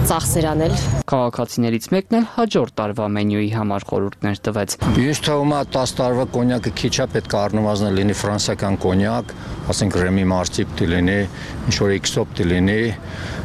ծախսեր անել։ Քաղաքացիներից մեկն էլ հաջորդ տարվա մենյուի համար խորհուրդներ տվեց։ Ես թվում է տասը տարվա կոնյակը քիչ է, պետք է առնվազն լինի ֆրանսիական կոնյակ, ասենք Ռեմի Մարսի պիտի լինի, ինչ որ X-օ պիտի լինի,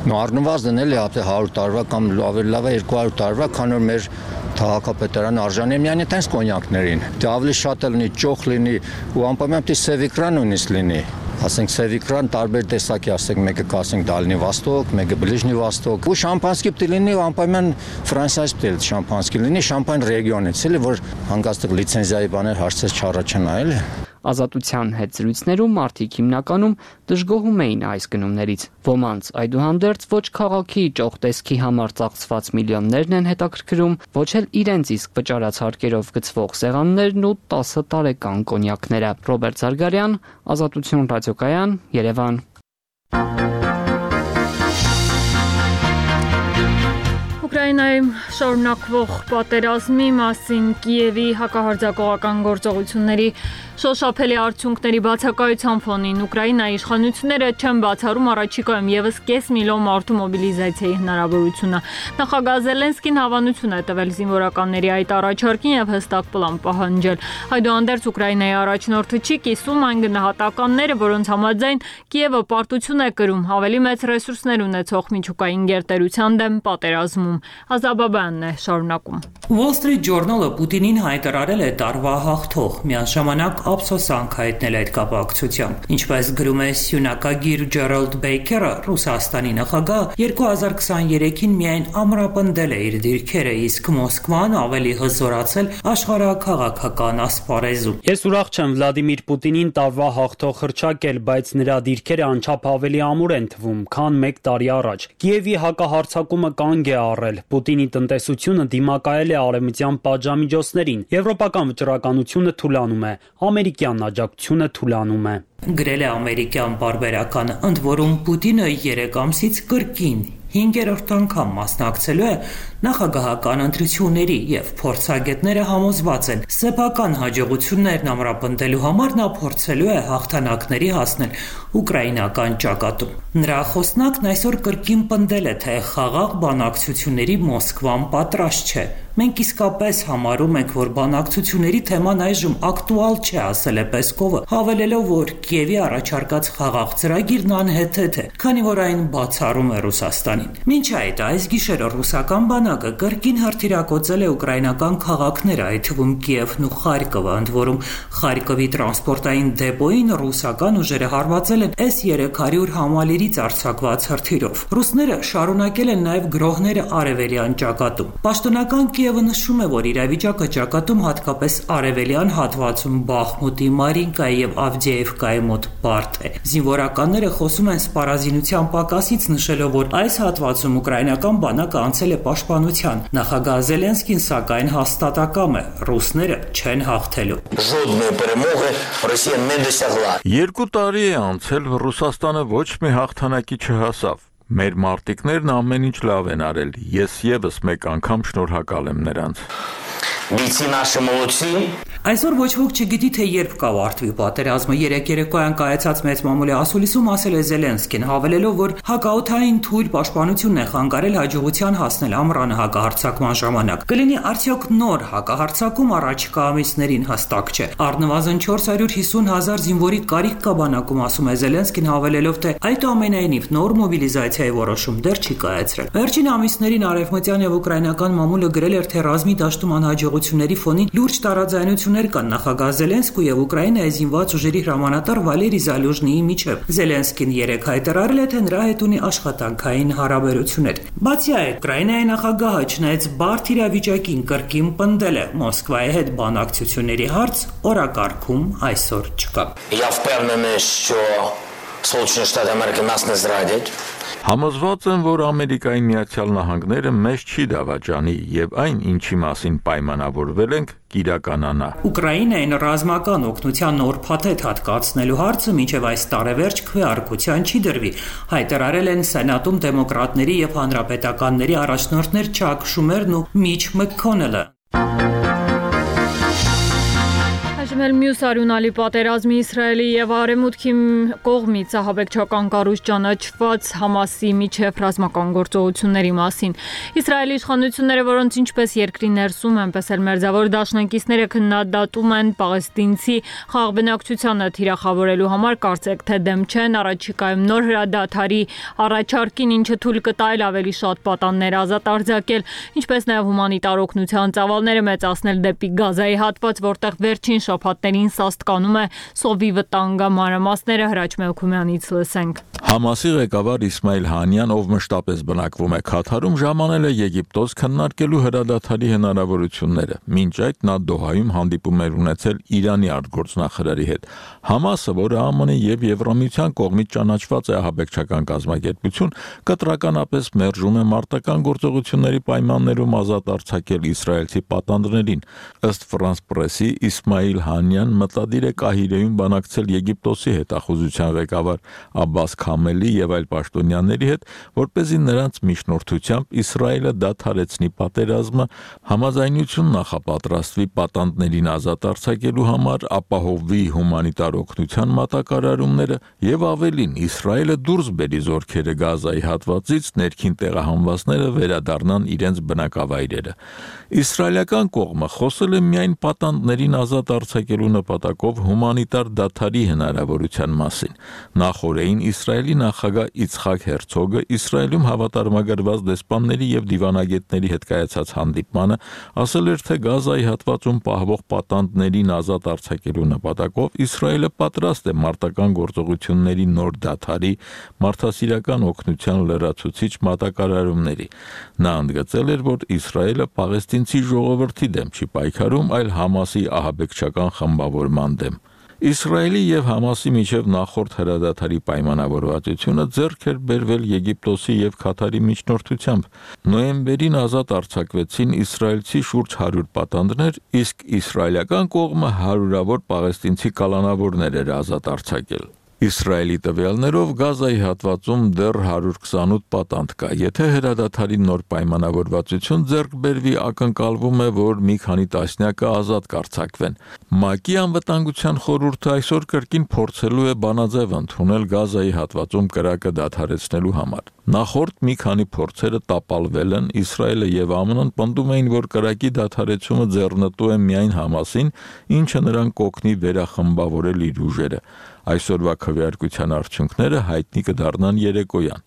նո առնվազն էլ է հարյուր տարվա կամ ավելի լավ է երկու հարյուր տարվա, քան որ մեր քաղաքապետարանը արժանի է միայն այդպես կոնյակներին։ Դե ավելի շատ է լինի, ճոխ լինի ու անպայման պիտի սևիկրան նույնիսկ լինի։ Ասենք սևիկրան տարբեր տեսակի, ասենք մեկը կասենք Դալնի Վաստոկ, մեկը Բլիժնի Վաստոկ։ Ու շամպանսկի պիտի լինի ու անպայման Ֆրանսիայից պիտի շամպանսկի լինի, շամպայն ռեգիոնից, էլի որ հանգստեղ լիցենզիայի բաներ հարցեր չառաջանա, էլի։ Ազատության հետ զրույցներում մարդիկ հիմնականում դժգոհում էին այս գնումներից։ Ոմանց այդուհանդերձ ոչ քաղաքի ճոխ տեսքի համար ծախսված միլիոններն են հետաքրքրում, ոչ էլ իրենց իսկ վճարած հարկերով գծվող սեղաններն ու տասը տարեկան կոնյակները։ Ռոբերտ Զարգարյան, Ազատություն ռադիոկայան, Երևան։ Ուկրաինայում շարունակվող պատերազմի մասին Կիևի հակահարձակողական գործողությունների շոշափելի արդյունքների բացակայության ֆոնին Ուկրաինայի իշխանությունները չեն բացառում առաջիկայում եւս կես միլիոն մարդու մոբիլիզացիայի հնարավորությունը։ Նախագահ Զելենսկին հավանություն է տվել զինվորականների այդ առաջարկին եւ հստակ պլան պահանջել։ Այդուհանդերձ Ուկրաինայի առաջնորդը չի կիսում այն գնահատականները, որոնց համաձայն Կիևը պարտություն է կրում ավելի մեծ ռեսուրսներ ունեցող միջուկային գերտերության դեմ պատերազմում։ Ազաբաբյանն է շարունակում։ Wall Street Journal-ը Պուտինին հայտարարել է տարվա հաղթող, միաժամանակ ափսոսանք հայտնել այդ կապակցությամբ։ Ինչպես գրում է սյունակագիր Ջերալդ Բեյքերը, Ռուսաստանի նախագահ երկու հազար քսաներեքին միայն ամրապնդել է իր դիրքերը, իսկ Մոսկվան ավելի հզորացել աշխարհաքաղաքական ասպարեզում։ Ես ուրախ չեմ Վլադիմիր Պուտինին տարվա հաղթող հռչակել, բայց նրա դիրքերը անչափ ավելի ամուր են թվում, քան մեկ տարի առաջ։ Կիևի հակահարձակումը կանգ է առել։ Պուտինի տնտեսությունը դիմակայել է արևմտյան պատժամիջոցներին։ Եվրոպական վճռականությունը թուլանում է, ամերիկյան աջակցությունը թուլանում է։ Գրել է ամերիկյան պարբերականը, ընդ որում Պուտինը երեք ամսից կրկին հինգերորդ անգամ մասնակցելու է նախագահական ընտրությունների եւ փորձագետները համոզված են սեփական հաջողություններն ամրապնդելու համար նա փորձելու է հաղթանակների հասնել ուկրաինական ճակատում։ Նրա խոսնակն այսօր կրկին պնդել է, թե խաղաղ բանակցությունների Մոսկվան պատրաստ չէ։ Մենք իսկապես համարում ենք, որ բանակցությունների թեման այժմ ակտուալ չէ, ասել է Պեսկովը, հավելելով, որ Կիևի առաջարկած խաղաղ ծրագիրն անհեթեթ է, քանի որ այն բացառում է Ռուսաստանին։ Մինչ այդ այս գիշերը ռուսական բանակը կրկին հրթիռակոծել է ուկրաինական քաղաքները, այդ թվում Կիևն ու Խարկովը, ընդ որում Խարկովի տրանսպորտային դեպոյին ռուսական ուժերը հարվածել են S երեք հարյուր համալիրից արձակված հրթիռով։ Ռուսները շարունակել են նաև գրոհները արևելյան ճակատում։ Պաշտոնական Կիևը նշում է, որ իրավիճակը ճակատում հատկապես արևելյան հատվածում Բախմուտի, Մարինկայի եւ Ավդիեվկայի մոտ բարդ է։ Զինվորականները խոսում են սպառազինության պակասից, նշելով, որ այս հատվածում ուկրաինական բանակը անցել է պաշտպանության։ Նախագահ Զելենսկին սակայն հաստատակամ է, ռուսները չեն հաղթելու։ Երկու տարի է անցել, Ռուսաստանը ոչ մի հաղթանակի չհասավ։ Մեր մարտիկներն ամեն ինչ լավ են արել։ Ես եւս մեկ անգամ շնորհակալ եմ նրանց։ Այսօր ոչ ոք չգիտի, թե երբ կավարտվի պատերազմը։ Երեք երեկոյան կայացած մեծ մամուլի ասուլիսում ասել է Զելենսկին, հավելելով, որ հակաօդային թույլ պաշտպանությունն է խանգարել հաջողության հասնել ամռանը հակահարձակման ժամանակ։ Կլինի արդյոք նոր հակահարձակում առաջիկա ամիսներին հստակ չէ։ Առնվազն չորս հարյուր հիսուն հազար զինվորի կարիք կա բանակում, ասում է Զելենսկին, հավելելով, թե այդուամենայնիվ նոր մոբիլիզացիայի որոշում դեռ չի կայացրել։ Վերջին ամիսներին արևմտյան եւ ուկրաինական մամուլը գրել էր, թե ռազմի դաշտում անհաջողությունների ֆոնին լուրջ տարաձայնություններ կան նախագահ Զելենսկու եւ Ուկրաինայի զինված ուժերի հրամանատար Վալերի Զալյուժնիի միջեւ։ Զելենսկին երեք հայտարարել է, թե նրա հետ ունի աշխատանքային հարաբերություններ։ Բացի այդ, Ուկրաինայի նախագահը չնայած բարդ իրավիճակին կրկին պնդել է Մոսկվայի հետ բանակցությունների հարց օրակարգում այսօր չկա։ Я впевнений, що Сполучені Штати Америки нас не зрадять. Համոզված եմ, որ Ամերիկայի Միացյալ Նահանգները մեզ չի դավաճանի եւ այն, ինչի մասին պայմանավորվել ենք, կիրականանա։ Ուկրաինային ռազմական օգնության նոր փաթեթ հատկացնելու հարցը մինչև այս տարեվերջ քվեարկության չի դրվի, հայտարարել են Սենատում դեմոկրատների եւ հանրապետականների առաջնորդներ Չակ Շումերն ու Միչ Մաքքոնելը։ Այժմ մյուս արյունալի պատերազմի Իսրայելի եւ Արևմուտքի կողմից ահաբեկչական կառույց ճանաչված Համասի միջև ռազմական գործողությունների մասին։ Իսրայելի իշխանությունները, որոնց ինչպես երկրի ներսում, այնպես էլ մերձավոր դաշնակիցները քննադատում են պաղեստինցի խաղաղբնակչությանը թիրախավորելու համար, կարծեք թե դեմ չեն առաջիկայում նոր հրադադարի առաջարկին, ինչը թույլ կտա ավելի շատ պատաններ ազատ արձակել, ինչպես նաեւ հումանիտար օգնության ծավալները մեծացնել դեպի Գազայի հատված, որտեղ վերջին շաբաթներին սաստկանում է սովի վտանգը, մանրամասները Հրաչ Մելքումյանից լսենք։ Համասի ղեկավար Իսմայիլ Հանյան, ով մշտապես բնակվում է Քաթարում, ժամանել է Եգիպտոս քննարկելու հրադադարի հնարավորությունները։ Մինչ այդ նա Դոհայում հանդիպում էր ունեցել Իրանի արտգործնախարարի հետ։ Համասը, որը ԱՄՆ-ի եւ Եվրամիության կողմից ճանաչված է ահաբեկչական կազմակերպություն, կտրականապես մերժում է մարտական գործողությունների պայմաններում ազատ արձակել իսրայելցի պատանդներին։ Ըստ Ֆրանս Պրեսի, Իսմայիլ Հանյան մտադիր է Կահիրեում բանակցել Եգիպտոսի հետախուզության ղեկավար Աբբաս Քամելի եւ այլ պաշտոնյաների հետ, որպեսզի նրանց միջնորդությամբ Իսրայելը դադարեցնի պատերազմը, համաձայնություն նախապատրաստվի պատանդներին ազատ արձակելու համար, ապահովի հումանիտար օգնության մատակարարումները եւ ավելին Իսրայելը դուրս բերի զորքերը Գազայի հատվածից, ներքին տեղահանվածները վերադառնան իրենց բնակավայրերը։ Իսրայելական կողմը խոսել է միայն պատանդներին ազատ արձակելու նպատակով հումանիտար դադարի հնարավորության մասին։ Նախորդին Իսրայելի նախագահ Իցխակ Հերցոգը Իսրայելում հավատարմագրված դեսպանների եւ դիվանագետների հետ կայացած հանդիպմանը ասել էր, թե Գազայի հատվածում պահվող պատանդներին ազատ արձակելու նպատակով Իսրայելը պատրաստ է մարտական գործողությունների նոր դադարի, մարդասիրական օգնության լրացուցիչ մատակարարումների։ Նա ընդգծել էր, որ Իսրայելը պաղեստինցի ժողովրդի դեմ չի պայքարում, այլ Համասի ահաբեկչական խմբավորման դեմ։ Իսրայելի եւ Համասի միջև նախորդ հրադադարի պայմանավորվածությունը ձեռք էր բերվել Եգիպտոսի եւ Քաթարի միջնորդությամբ։ Նոյեմբերին ազատ արձակվեցին իսրայելցի շուրջ հարյուր պատանդներ, իսկ իսրայելական կողմը հարյուրավոր պաղեստինցի կալանավորներ էր ազատ արձակել։ Իսրայելի տվյալներով Գազայի հատվածում դեռ հարյուր քսանութ պատանդ կա։ Եթե հրադադարի նոր պայմանավորվածություն ձեռք բերվի, ակնկալվում է, որ մի քանի տասնյակը ազատ կարձակվեն։ ՄԱԿ-ի անվտանգության խորհուրդը այսօր կրկին փորձելու է բանաձև ընդունել Գազայի հատվածում կրակը դադարեցնելու համար։ Նախորդ մի քանի փորձերը տապալվել են, Իսրայելը եւ ԱՄՆ-ն պնդում էին, որ կրակի դադարեցումը ձեռնտու է միայն Համասին, ինչը նրան կօգնի վերախմբավորել իր ուժերը։ Այսօրվա քվեարկության արդյունքները հայտնի կդառնան երեկոյան։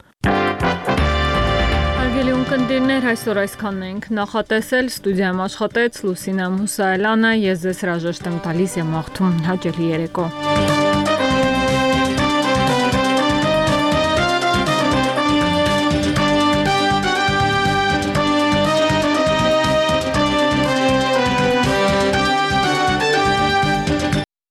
Հարգելի ունկնդիրներ, այսօր այսքանն ենք նախատեսել, ստուդիայում աշխատեց Լուսինա Մուսայելյանը, ես ձեզ հրաժեշտ եմ տալիս եւ մաղթում հաճելի երեկո։